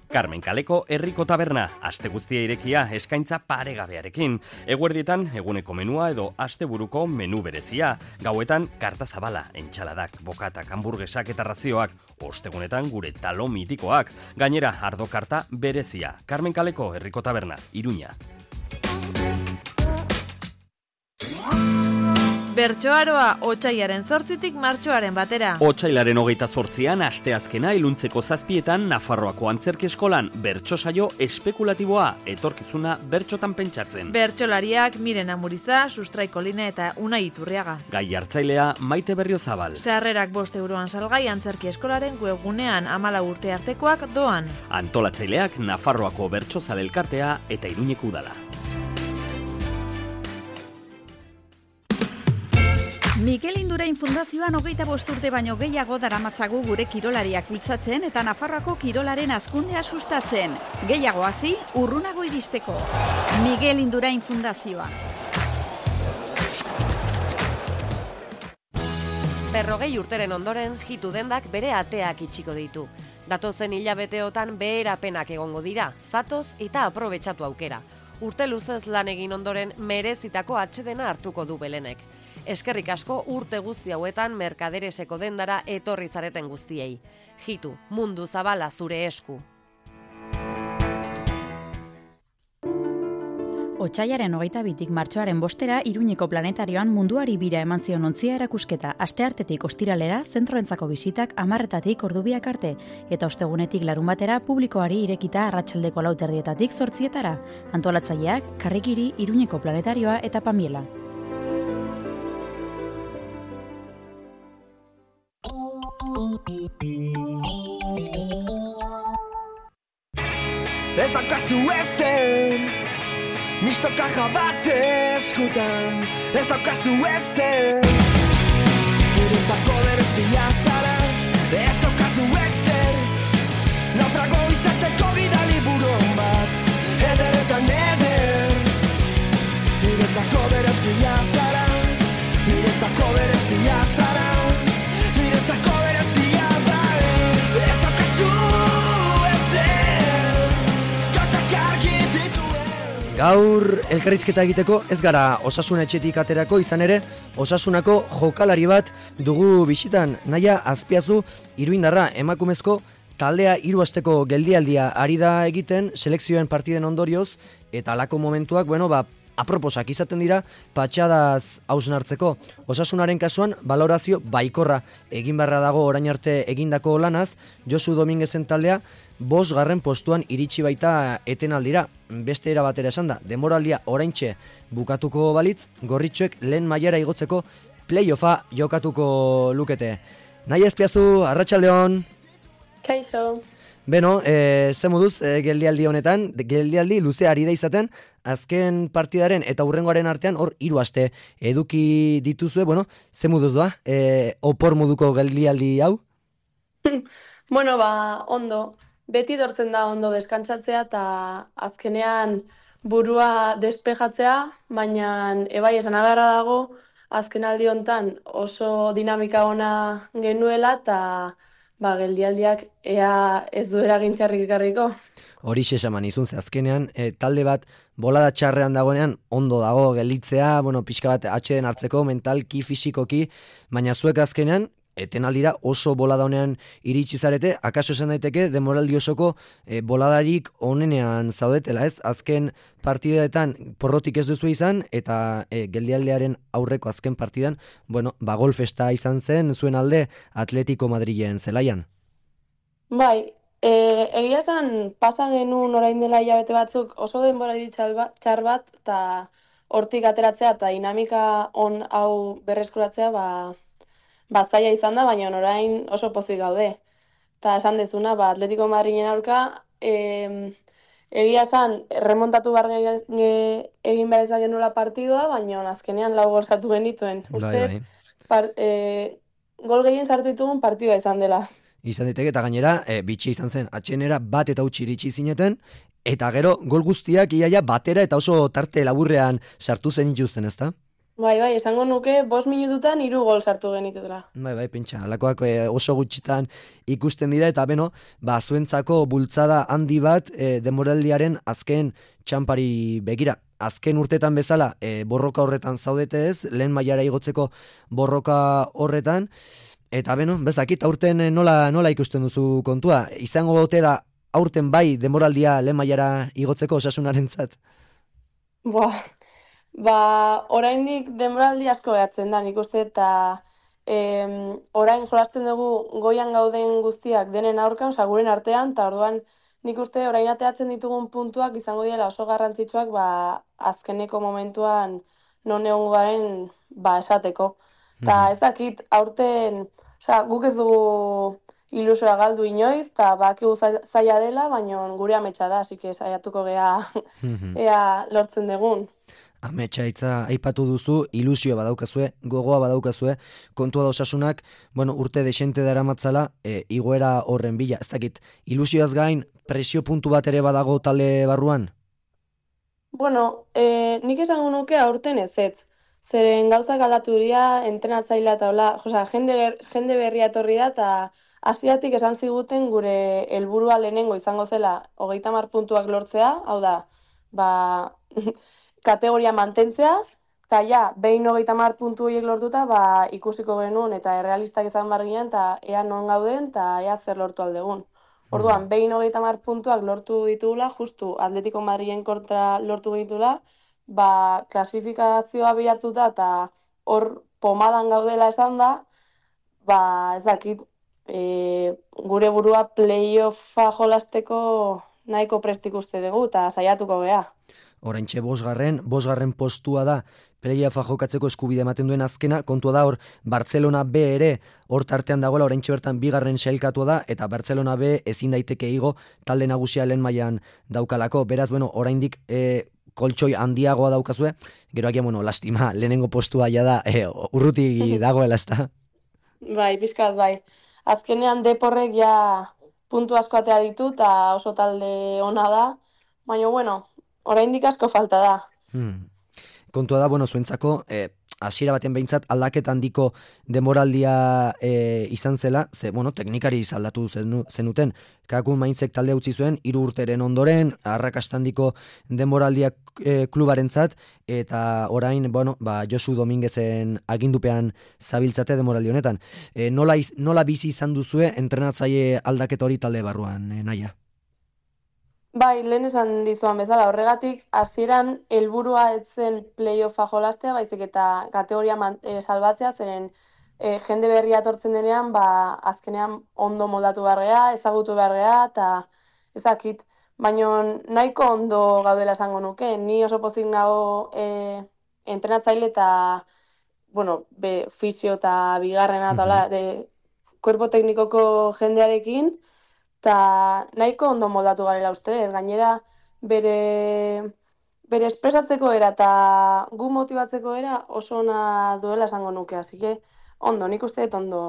Carmen Kaleko herriko taberna, aste guztia irekia eskaintza paregabearekin. Eguerdietan eguneko menua edo asteburuko menu berezia. Gauetan karta zabala, entxaladak, bokatak, hamburguesak eta razioak. Ostegunetan gure talo mitikoak. Gainera ardo karta berezia. Carmen Kaleko herriko taberna, Iruña. Bertsoaroa otsailaren zortzitik martxoaren batera. Otsailaren hogeita zortzian, asteazkena iluntzeko zazpietan, Nafarroako antzerki eskolan bertso saio espekulatiboa, etorkizuna bertsotan pentsatzen. Bertsolariak Miren Amuriza, Sustrai Kolina eta Unai Iturriaga. Gai hartzailea Maite Berriozabal. Sarrerak bost euroan salgai antzerki eskolaren webgunean amala urte artekoak doan. Antolatzaileak Nafarroako bertsozale elkartea eta Iruñeko udala. Mikel Indurain Fundazioan hogeita bost urte baino gehiago daramatzagu gure kirolariak bultzatzen eta Nafarroako kirolaren hazkundea sustatzen. Gehiago hazi, urrunago iristeko. Mikel Indurain Fundazioa. Berrogei urteren ondoren, jitu dendak bere ateak itxiko ditu. Datozen hilabeteotan beherapenak egongo dira, zatoz eta aprobetxatu aukera. Urte luzez lan egin ondoren merezitako atsedena hartuko du Belenek. Eskerrik asko urte guzti hauetan merkadereseko dendara etorri zareten guztiei. Jitu, mundu zabala zure esku. Otsailaren hogeita bitik martxoaren bostera Iruñeko planetarioan munduari bira eman zion ontzia erakusketa, asteartetik ostiralera zentroentzako bisitak hamarretatik ordubiak arte, eta ostegunetik larun batera publikoari irekita arratsaldeko lauterdietatik zortzietara. Antolatzaileak, Karrikiri, Iruñeko planetarioa eta Pamiela. Ez daukazu ezen, misto kaja bat eskutan. Ez daukazu ezen, niretzako berezia zara. Ez daukazu ezen, naufrago izateko bidali buron bat. Ederetan eder, niretzako berezia zara. Niretzako berezia berezia zara, niretzako berezia da. Ez daukazu ezer, gauzak argi dituen. Gaur elkarrizketa egiteko ez gara Osasun etxetik aterako, izan ere Osasunako jokalari bat dugu bisitan. Naia Azpiazu iruindarra, emakumezko taldea hiru asteko geldialdia ari da egiten selekzioen partiden ondorioz, eta halako momentuak, bueno, ba, aproposak izaten dira patxadaz hausnartzeko. Osasunaren kasuan balorazio baikorra egin beharra dago orain arte egindako lanaz. Josu Dominguezen taldea bost garren postuan iritsi baita etenaldira. Beste era batera esan da, denboraldia oraintxe bukatuko balitz, gorritxoek lehen mailara igotzeko playoffa jokatuko lukete. Naia Azpiazu, arratsaldeon. Kaixo. Beno, e, ze moduz e, geldialdi honetan, geldialdi luze ari da izaten, azken partidaren eta hurrengoaren artean hor hiru aste eduki dituzue, bueno, ze moduz doa, e, opor moduko geldialdi hau? Bueno, ba, ondo. Beti dortzen da ondo deskantsatzea eta azkenean burua despejatzea, baina ebai esan agarra dago, azken aldi hontan oso dinamika ona genuela eta ba, geldialdiak ea ez du eragin txarrik ekarriko. Horixe esaman izun, ze azkenean e, talde bat bolada txarrean dagoenean ondo dago gelditzea, bueno, pixka bat atxeden hartzeko, mentalki, fisikoki, baina zuek azkenean etenaldira oso bolada honean iritsi zarete, akaso esan daiteke demoraldi osoko e, boladarik onenean zaudetela, ez? Azken partideetan porrotik ez duzu izan, eta e, geldialdearen aurreko azken partidan, bueno, ba golfesta izan zen zuen alde Atletico Madrilen zelaian. Bai, e, egia esan pasa genuen orain dela hilabete batzuk oso denboraldi txar bat, eta hortik ateratzea eta dinamika on hau berreskuratzea, ba, ba zaila izan da, baina orain oso pozik gaude. Eta esan dezuna, ba, Atletico Madrilen aurka, e, egia esan, remontatu behar egin behar ezak genuela partidua, baina azkenean lau gol sartu genituen. Uste, par, e, gol gehien sartu ditugun partidua izan dela. Izan diteke, eta gainera, e, bitxi izan zen, atxenera bat eta utzi iritsi zineten, eta gero gol guztiak iaia batera eta oso tarte laburrean sartu zen ituzten, ezta? Bai, bai, esango nuke bost minututan hiru gol sartu genitutela. Bai, bai, pentsa, alakoak e, oso gutxitan ikusten dira, eta beno, ba, zuentzako bultzada handi bat e, demoraldiaren azken txampari begira. Azken urtetan bezala, e, borroka horretan zaudete ez, lehen mailara igotzeko borroka horretan, eta beno, bezakit, aurten nola, nola ikusten duzu kontua? Izango gote da, aurten bai demoraldia lehen mailara igotzeko Osasunarentzat? Boa, ba, oraindik denboraldi asko behatzen da, nik uste, eta em, orain jolasten dugu goian gauden guztiak denen aurkan, oza, guren artean, eta orduan nik uste orain ateatzen ditugun puntuak izango dira oso garrantzitsuak, ba, azkeneko momentuan non egongo garen, ba, esateko. Eta ez dakit, aurten, oza, guk ez dugu ilusoa galdu inoiz, eta bakigu zaila dela, baina gure ametsa da, así que saiatuko gea ea lortzen dugun. Ametsa hitza aipatu duzu, ilusioa badaukazue, gogoa badaukazue, kontua da Osasunak, bueno, urte desente daramatzala, e, igoera horren bila. Ez dakit, ilusioaz gain, presio puntu bat ere badago talde barruan? Bueno, e, nik esango nuke aurten ez ez. Zeren gauzak aldatu dira, entrenatzailea eta hola, osea, jende, jende berria etorri da, eta hasieratik esan ziguten gure helburua lehenengo izango zela hogeita hamar puntuak lortzea, hau da, ba, kategoria mantentzea, eta ja, behin hogeita hamar puntu horiek lortuta, ba, ikusiko genuen eta errealistak izan behar ginen, eta ea non gauden, eta ea zer lortu aldegun. Orduan, behin hogeita hamar puntuak lortu ditugula, justu Atletico Madrilen kontra lortu genitula, ba, klasifikazioa bilatuta eta hor pomadan gaudela esan da, ba, ez dakit, e, gure burua playoffa jolasteko nahiko prestik uste dugu eta saiatuko gea. Oraintxe bosgarren, bosgarren postua da playoffa jokatzeko eskubide ematen duen azkena, kontua da hor Barcelona B ere hor tartean dagoela, oraintxe bertan bigarren sailkatua da, eta Barcelona B ezin daiteke igo talde nagusia lehen mailan daukalako, beraz, bueno, oraindik e, koltsoi handiagoa daukazue, gero agian, bueno, lastima, lehenengo postua ja da, e, urruti dagoela, ezta? Bai, pixkat, bai. Azkenean deporrek ja puntu asko atea ditu, eta oso talde ona da, baina, bueno, oraindik asko falta da. Hmm. Kontua da, bueno, zuentzako, eh, hasiera baten behintzat aldaketa handiko demoraldia e, izan zela, ze, bueno, teknikari aldatu zenu, zenuten, Kakun Mainzek talde utzi zuen, hiru urteren ondoren, arrakastandiko demoraldiak e, klubarentzat, eta orain, bueno, ba, Josu Dominguezen agindupean zabiltzate demoraldi honetan. E, nola, iz, nola bizi izan duzue entrenatzaile aldaketa hori talde barruan, e, Naia? Bai, lehen esan dizuan bezala, horregatik, hasieran helburua ez zen playoffa jolastea, baizik eta kategoria man, e, salbatzea, zeren e, jende berria etortzen denean, ba, azkenean ondo moldatu behargea, ezagutu behargea, eta ezakit, baina nahiko ondo gaudela esango nuke, ni oso pozik nago e, entrenatzaile eta, bueno, be, fisio eta bigarrena, eta hola, de kuerpo teknikoko jendearekin, eta nahiko ondo moldatu garela uste, gainera bere, bere espresatzeko era eta gu motibatzeko era oso ona duela esango nuke, así que ondo, nik uste dut ondo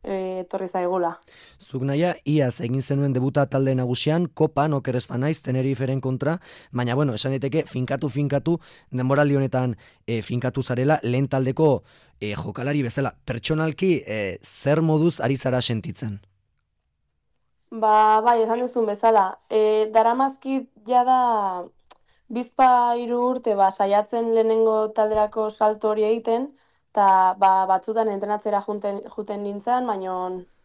e, etorri zaigula. Zuk Naia, iaz egin zenuen debuta talde nagusian, Kopan, oker ez banaiz, Teneriferen kontra, baina, bueno, esan daiteke, finkatu-finkatu, denboraldi honetan e, finkatu zarela, lehen taldeko e, jokalari bezala. Pertsonalki, e, zer moduz ari zara sentitzen? Ba, bai, esan duzun bezala. E, daramazkit jada bizpa hiru urte ba, saiatzen lehenengo talderako salto hori egiten, eta ba, batzutan entrenatzera juten, juten nintzen, baina,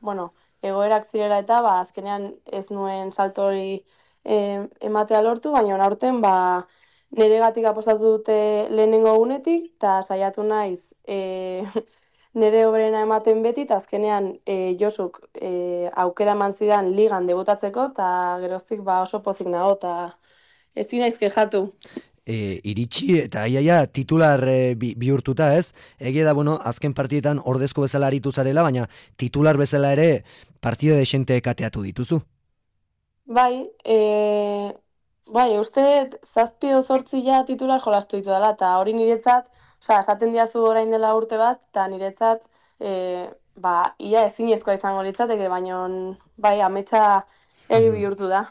bueno, egoerak zirela eta ba, azkenean ez nuen salto hori e, ematea lortu, baina aurten ba, neregatik apostatu dute lehenengo unetik, eta saiatu naiz e, nere oberena ematen beti, eta azkenean e, Josuk e, aukera eman zidan ligan debutatzeko, eta geroztik ba, oso pozik nago, eta ezin naiz kexatu. E, iritsi eta aiaia titular e, bi, bihurtuta ez, egia da, bueno, azken partietan ordezko bezala aritu zarela, baina titular bezala ere partida desente kateatu dituzu. Bai, e, bai, uste zazpi edo zortzi ja titular jolastu ditu dela, eta hori niretzat, osea, esaten diazu orain dela urte bat, eta niretzat, e, ba, ia ezinezkoa izango litzateke, baina bai, ametsa egi bihurtu da.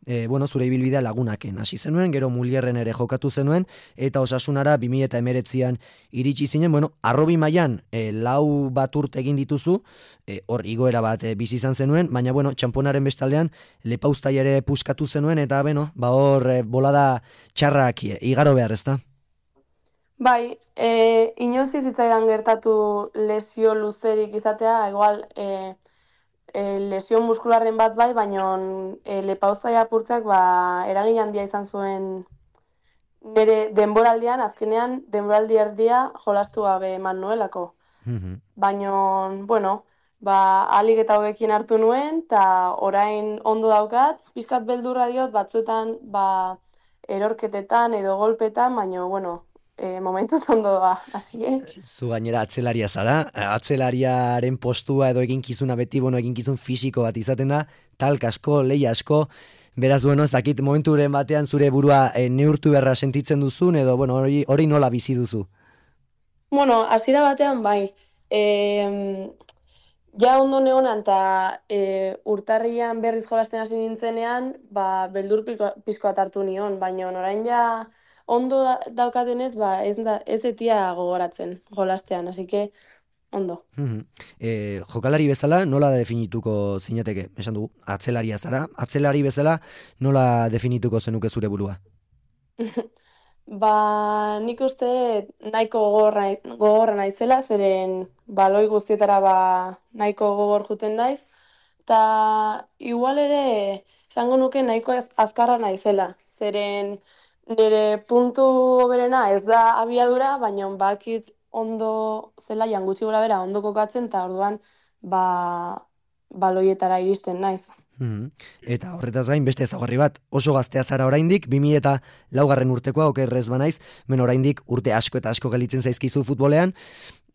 E, bueno, zure ibilbidea lagunaken hasi zenuen, gero Mulierren ere jokatu zenuen, eta Osasunara bi mila hemeretzian iritsi zinen, bueno, arrobi mailan e, lau bat urte egin dituzu, e, hor igoera bat e, bizi izan zenuen, baina bueno, txamponaren bestaldean Lepauztai ere puskatu zenuen, eta beno, ba hor e, bolada txarrak e, igaro behar, ezta? Bai, e, inoiz ez zitzaidan gertatu lesio luzerik izatea, igual e, e, lesio muskularren bat bai, baina e, Lepauztai apurtzeak ba, eragin handia izan zuen nire denboraldian, azkenean denboraldi erdia jolastu gabe eman nuelako. Baina, bueno, ba, alik eta hobekin hartu nuen, eta orain ondo daukat, pizkat beldurra diot, batzuetan ba, erorketetan edo golpetan, baina, bueno, e, momentuz ondo doa, así que... Zu gainera atzelaria zara, atzelariaren postua edo eginkizuna beti, bueno, eginkizun fisiko bat izaten da, talk asko, leia asko, beraz, bueno, ez dakit momenturen batean zure burua e, neurtu beharra sentitzen duzun, edo, bueno, hori, hori nola bizi duzu? Bueno, hasiera batean bai, e, ja ondo neonan eta e, urtarrian berriz jolasten hasi nintzenean, ba, beldur pizkoa hartu nion, baina orain ja ondo da, daukatenez, ba, ez, da, ez etia gogoratzen jolastean, así que ondo. E, jokalari bezala nola definituko zinateke? Esan dugu, atzelaria zara, atzelari bezala nola definituko zenuke zure burua? Ba, nik uste nahiko gogorra, gogorra naizela, zeren baloi guztietara ba, nahiko gogor juten naiz, eta igual ere esango nuke nahiko az, azkarra naizela, zeren nire puntu berena ez da abiadura, baina bakit ondo zelaian gutxi gora bera ondo kokatzen, eta orduan ba, baloietara iristen naiz. Eta horretaz gain beste ezaugarri bat, oso gaztea zara oraindik, bi mila eta laugarren urtekoa, okerrez banaiz, men oraindik urte asko eta asko galitzen zaizkizu futbolean,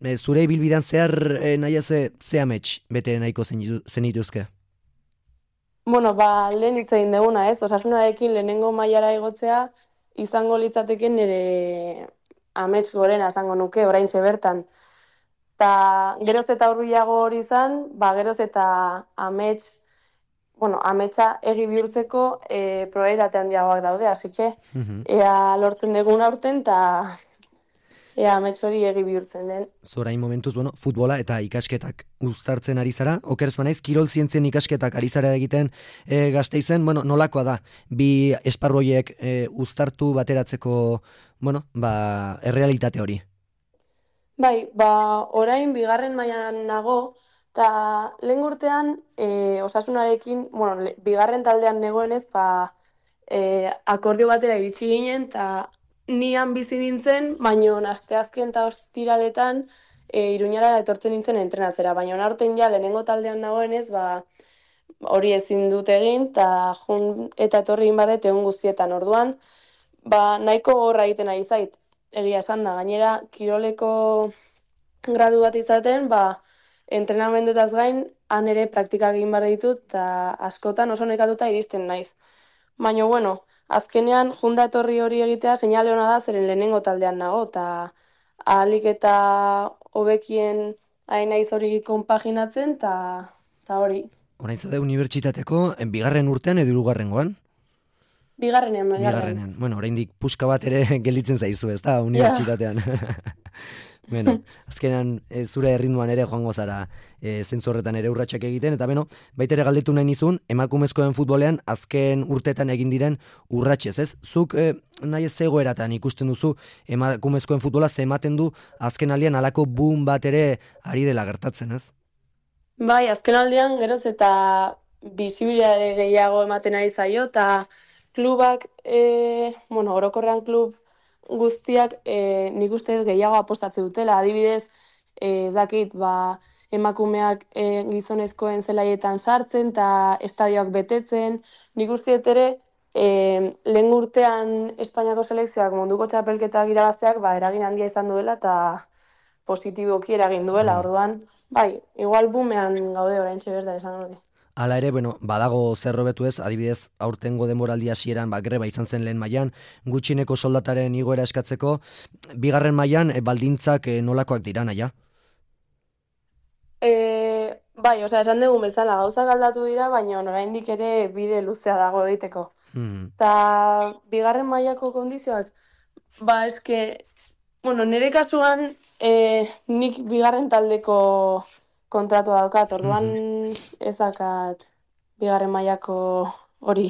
e, zure ibilbidean zehar e, nahi ze, ze amets bete nahiko zenituzke? Bueno, ba, lehen hitz egin deguna, ez? Osasunarekin lehenengo mailara igotzea izango litzateke nire amets gorena esango nuke, oraintxe bertan. Ta geroz eta hurbilago hori izan, ba, geroz eta amets bueno, ametsa egi bihurtzeko e, probabilitate handiagoak daude, así que ea lortzen dugun aurten, eta ea amets hori egi bihurtzen den. Zorain momentuz, bueno, futbola eta ikasketak uztartzen ari zara, oker ez banaiz, kirol zientzien ikasketak ari zara egiten e, Gasteizen, bueno, nolakoa da, bi esparroiek e, uztartu bateratzeko, bueno, ba, errealitate hori. Bai, ba, orain bigarren mailan nago, eta lehen urtean e, osasunarekin, bueno, le, bigarren taldean negoenez, ba, e, akordio batera iritsi ginen, eta nian bizi nintzen, baino asteazken eta ostiraletan e, Iruñara etortzen nintzen entrenatzera, baina aurten ja lehenengo taldean nagoenez, ba, hori ezin dut egin, eta jun eta etorri egin barret egun guztietan orduan, ba, nahiko horra egiten ari zait, egia esan da, gainera, kiroleko gradu bat izaten, ba, entrenamendutaz gain, han ere praktikak egin behar ditut, eta askotan oso nekatuta iristen naiz. Baina, bueno, azkenean, junda etorri hori egitea, seinale hona da, zeren lehenengo taldean nago, eta ahalik eta hobekien hain naiz hori konpaginatzen, eta hori. Orain zaude unibertsitateko, bigarren urtean edo hirugarrengoan? Bigarrenean, bigarrenean. Bigarrenean. Bueno, oraindik puska bat ere gelditzen zaizu, ez da, unibertsitatean. Bueno, azkenean e, zure erritmoan ere joango zara e, zentzu horretan ere urratsak egiten, eta beno, baita ere galdetu nahi nizun, emakumezkoen futbolean azken urtetan egin diren urratsez, ez? Zuk e, nahi ez zegoeratan ikusten duzu emakumezkoen futbola ze ematen du azken aldian halako boom bat ere ari dela gertatzen, ez? Bai, azken aldian geroz eta bisibilitate gehiago ematen ari zaio, eta klubak, e, bueno, orokorrean klub guztiak e, nik uste gehiago apostatzen dutela. Adibidez, e, ez dakit, ba, emakumeak e, gizonezkoen zelaietan sartzen eta estadioak betetzen. Nik uste ere, e, lehen urtean Espainiako selekzioak munduko txapelketak irabazteak ba, eragin handia izan duela eta positiboki eragin duela. Orduan, bai, igual bumean gaude oraintxe berda esan hori. Hala ere, bueno, badago zer hobetu ez, adibidez, aurtengo denboraldi hasieran ba, greba izan zen lehen mailan, gutxineko soldataren igoera eskatzeko, bigarren mailan e, baldintzak e, nolakoak dira, naia? E, bai, osea, esan dugun bezala, gauzak aldatu dira, baina oraindik ere bide luzea dago egiteko. Mm. Eta bigarren mailako kondizioak, ba, eske, bueno, nire kasuan, e, nik bigarren taldeko kontratua daukat, orduan ez dakat bigarren mailako hori.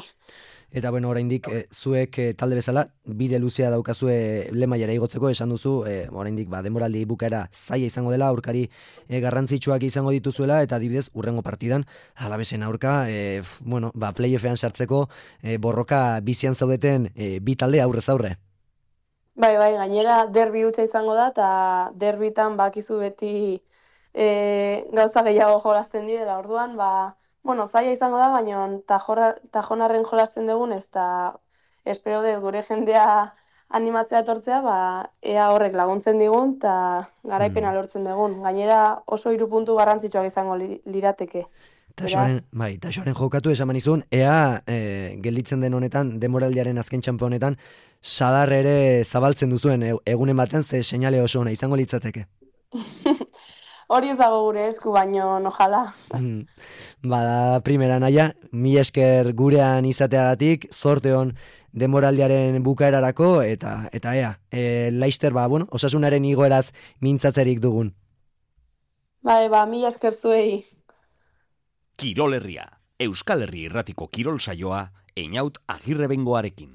Eta bueno, oraindik e, zuek e, talde bezala bide luzea daukazue lehen mailara igotzeko, esan duzu, e, oraindik ba denboraldi bukaera zaila izango dela, aurkari e, garrantzitsuak izango dituzuela, eta adibidez urrengo partidan Alavesen aurka, e, bueno, ba playoffean sartzeko e, borroka bizian zaudeten e, bi talde aurrez aurre. Bai, bai, gainera derbi hutsa izango da, eta derbitan bakizu beti E, gauza gehiago jolasten dira, orduan, ba, bueno, zaila izango da, baina tajonarren jolasten dugun, ez da, espero dut gure jendea animatzea etortzea, ba, ea horrek laguntzen digun, eta garaipena lortzen dugun. Gainera oso hiru puntu garrantzitsuak izango li, lirateke. Tasoaren, bai, tasoaren jokatu esan manizun, ea e, gelditzen den honetan, demoraldiaren azken txampo honetan, sadar ere zabaltzen duzuen e, egunen baten, ze seinale oso ona izango litzateke. Hori ez dago gure esku, baino ojala. Bada, primera naia, mi esker gurean izateagatik, zorte hon denboraldiaren bukaerarako, eta eta ea, e, Laister, ba, bueno, osasunaren igoeraz mintzatzerik dugun. Bai, ba, mi esker zuei. Kirol Herria, Euskal Herri irratiko kirol saioa, Einaut Agirrebengoarekin.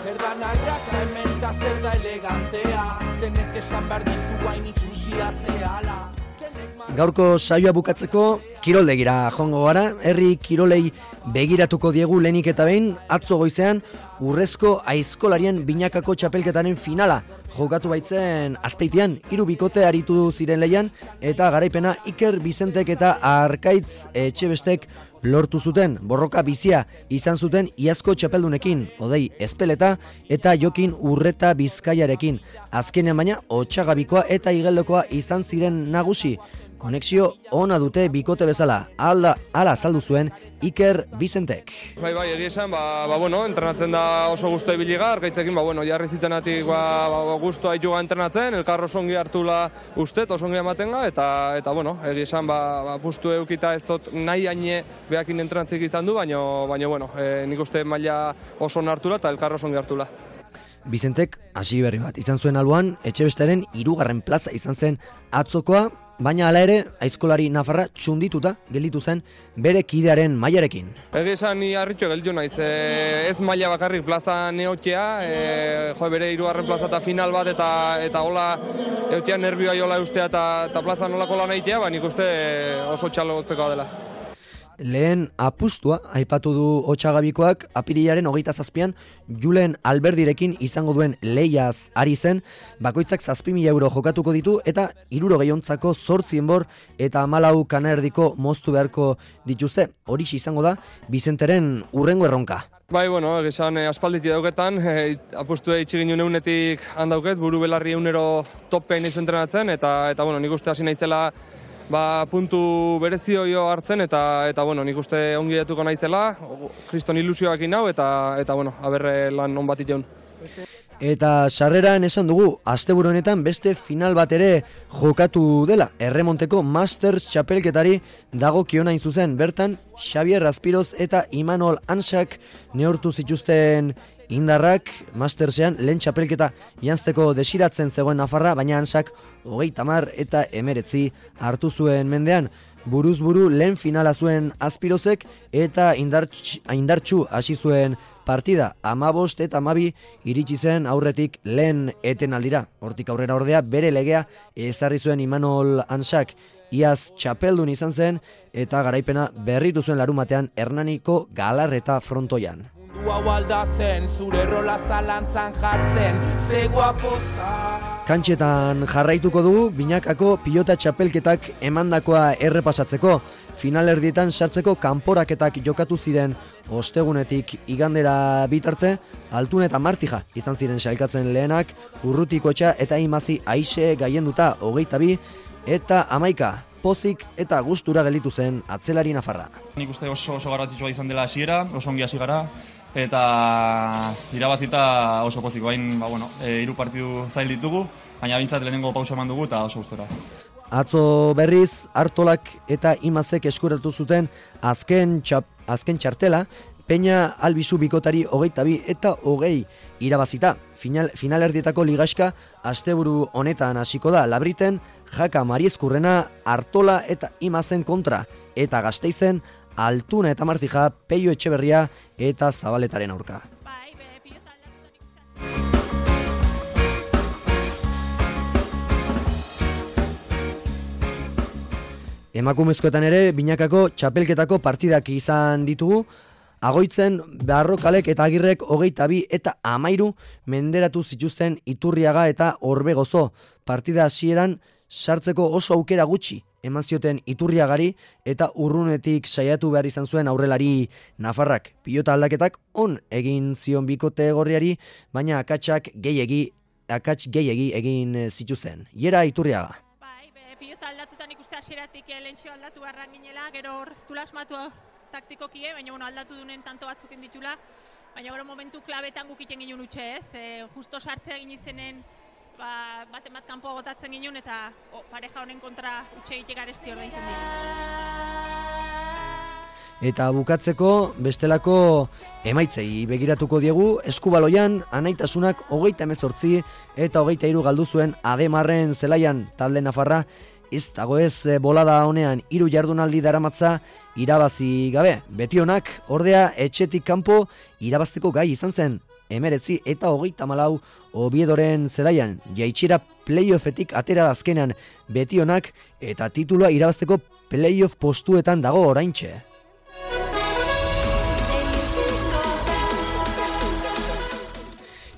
Zer da narratxa hemen da zer da elegantea, zenek esan behar dizu hain itxusia zehala. Gaurko saioa bukatzeko kiroldegira joango gara, herri kirolei begiratuko diegu lehenik eta behin, atzo goizean urrezko aizkolarien binakako txapelketaren finala jokatu baitzen Azpeitian, hiru bikote aritu ziren leian, eta garaipena Iker Bizentek eta Arkaitz Etxebestek lortu zuten. Borroka bizia izan zuten iazko txapeldunekin, Odei Ezpeleta eta Jokin Urreta Bizkaiarekin. Azkenean baina Otsagabikoa eta Igeldokoa izan ziren nagusi. Konexio ona dute bikote bezala bezala, ala, ala azaldu zuen Iker Bizentek. Bai, bai, egia esan, ba, ba, bueno, entrenatzen da oso guztu ebiligar, gaitzekin, ba, bueno, jarri zitenatik, ba, ba, guztua haituga entrenatzen, elkar osongi hartula ustet, osongi amatenga, eta, eta, bueno, egia esan, ba, ba, pustu eukita ez dut nahi haine behakin entrenatzik izan du, baina, baina, bueno, e, nik uste maila oso hartula eta elkar osongi hartula. Bizentek hasi berri bat izan zuen alboan, Etxebesteren hirugarren plaza izan zen atzokoa, baina hala ere, aizkolari nafarra txundituta gelditu zen bere kidearen mailarekin. Egia esan ni harritxo gelditu naiz, e, ez maila bakarrik plaza neotea, e, jo, bere hirugarren plaza eta final bat eta eta hola eotea nervioa jola eustea eta, eta plaza nolako lan egitea, ba nik uste oso txalotzeko dela. Lehen apustua aipatu du Otsagabikoak apirilaren hogeita zazpian Julen Alberdirekin izango duen lehiaz ari zen, bakoitzak zazpi mila euro jokatuko ditu eta hirurogei ontzako zortzi enbor eta hamalau kanerdiko moztu beharko dituzte. Horixe izango da Bizenteren hurrengo erronka. Bai, bueno, esan eh, aspalditi dauketan, eh, apustu eitsi ginen eunetik handauket, buru belarri eunero topean izan entrenatzen, eta, eta bueno, nik uste hasi naizela ba, puntu berezio jo hartzen, eta, eta bueno, nik uste ongi datuko naizela, kriston ilusioak inau, eta, eta bueno, aberre lan on bat iteun. Eta sarreran esan dugu, asteburu honetan beste final bat ere jokatu dela. Erremonteko Masters txapelketari dago kionain zuzen. Bertan, Xavier Raspiroz eta Imanol Ansak neurtu zituzten indarrak Mastersean lehen txapelketa janzteko desiratzen zegoen Nafarra, baina Ansak hogeita hamar eta emeretzi hartu zuen mendean. Buruz buru lehen finala zuen Azpirozek eta indartx, indartxu hasi zuen partida. Amabost eta amabi iritsi zen aurretik lehen etenaldira. Hortik aurrera ordea bere legea ezarri zuen Imanol Ansak. Iaz txapeldun izan zen eta garaipena berritu zuen larumatean Hernaniko Galarreta frontoian. Hau aldatzen, zure rola zalantzan jartzen, ze guapoza. Kantxetan jarraituko dugu, binakako pilota txapelketak emandakoa errepasatzeko. Finalerdietan sartzeko kanporaketak jokatu ziren ostegunetik igandera bitarte, Altun eta Martija izan ziren sailkatzen lehenak, Urrutikotxa eta Imazi Aixe gaienduta hogeita bi, eta amaika, pozik eta gustura gelditu zen atzelari Nafarra. Nik uste oso, oso garrantzitsua izan dela hasiera, oso ongi hasi gara, eta irabazita oso pozik bain, ba, bueno, e, hiru partidu zail ditugu, baina bintzat lehenengo pausa eman dugu eta oso gustora. Atzo berriz, Artolak eta Imazek eskuratu zuten azken, txap, azken txartela, Peña Albizu bikotari hogeita bi eta hogei irabazita. Final, finalerdietako ligaxka asteburu honetan hasiko da. Labriten, Jaka Mariezkurrena, Artola eta Imazen kontra, eta Gasteizen, Altuna eta Martija, Peio Etxeberria eta Zabaletaren aurka. Emakumezkoetan ere, binakako txapelketako partidak izan ditugu, Agoitzen, Barrokalek eta Agirrek hogeita bi eta amairu menderatu zituzten Iturriaga eta Orbegozo. Partida hasieran sartzeko oso aukera gutxi eman zioten Iturriagari eta urrunetik saiatu behar izan zuen aurrelari Nafarrak. Pilota aldaketak on egin zion bikote gorriari, baina akatsak gehiegi, akats gehiegi egin zituzten. Iera Iturriaga. Pilota aldatutan ikuste hasieratik lehentxo aldatu barran ginela, gero horreztula asmatu taktikokie, baina bueno, aldatu dunen tanto batzuk inditula, baina gero momentu klabetan gukiten ginen utxe ez, e, justo sartzea egin izenen ba, bat emat kanpo gotatzen ginen eta o, pareja honen kontra utxe egitek aresti hor daiten dira. Eta bukatzeko bestelako emaitzei begiratuko diegu, Eskubaloian anaitasunak hogeita hemezortzi eta hogeita hiru galdu zuen Ademarren zelaian. Talde Nafarra ez dago ez bolada honean hiru jardunaldi daramatza irabazi gabe. Betionak ordea etxetik kanpo irabazteko gai izan zen. Emeretzi eta hogeita malau Obiedoren zelaian. Jaitxera playoffetik atera azkenean Betionak eta titulua irabazteko playoff postuetan dago oraintxe.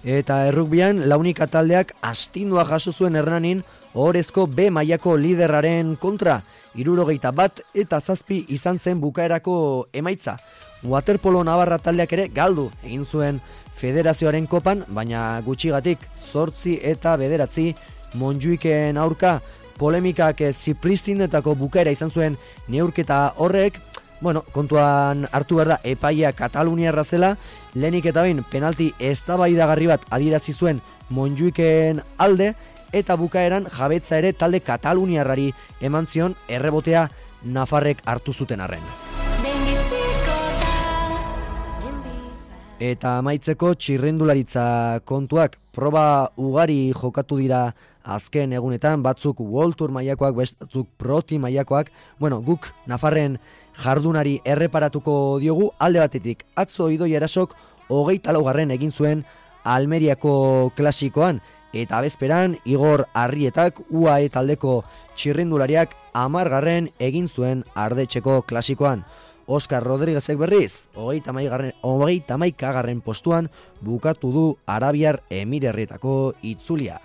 Eta errukbian launika taldeak astindua jaso zuen Hernanin ohorezko B mailako liderraren kontra. Hirurogeita bat eta zazpi izan zen bukaerako emaitza. Waterpolo Navarra taldeak ere galdu egin zuen federazioaren kopan, baina gutxigatik zortzi eta bederatzi Montjuiken aurka. polemikak Zipristinetako bukaera izan zuen neurketa horrek, bueno, kontuan hartu behar da epaia Kataluniarra zela, lehenik eta bain penalti eztabaidagarri bat adierazi zuen Montjuiken alde, eta bukaeran jabetza ere talde Kataluniarrari eman zion errebotea Nafarrek hartu zuten arren. Eta amaitzeko txirrendularitza kontuak, proba ugari jokatu dira azken egunetan, batzuk World Tour mailakoak, batzuk Pro Team mailakoak. Bueno, guk Nafarren jardunari erreparatuko diogu, alde batetik atzo Idoi Erasok hogeita laugarren egin zuen Almeriako klasikoan, eta bezperan Igor Arrietak U A E taldeko txirrendulariak hamargarren egin zuen Ardetxeko klasikoan. Oskar Rodriguezek berriz, hogeita hamaikagarren postuan bukatu du Arabiar Emirerrietako itzulia.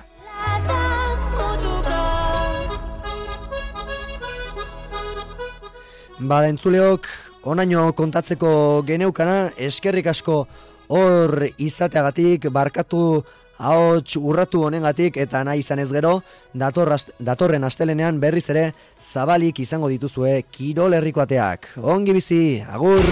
Bada entzuleok, onaino kontatzeko geneukana, eskerrik asko hor izateagatik, barkatu ahots urratu honengatik, eta nahi izan ez gero, datorren astelenean berriz ere zabalik izango dituzue Kirol Herriko ateak. Ongi bizi, agur!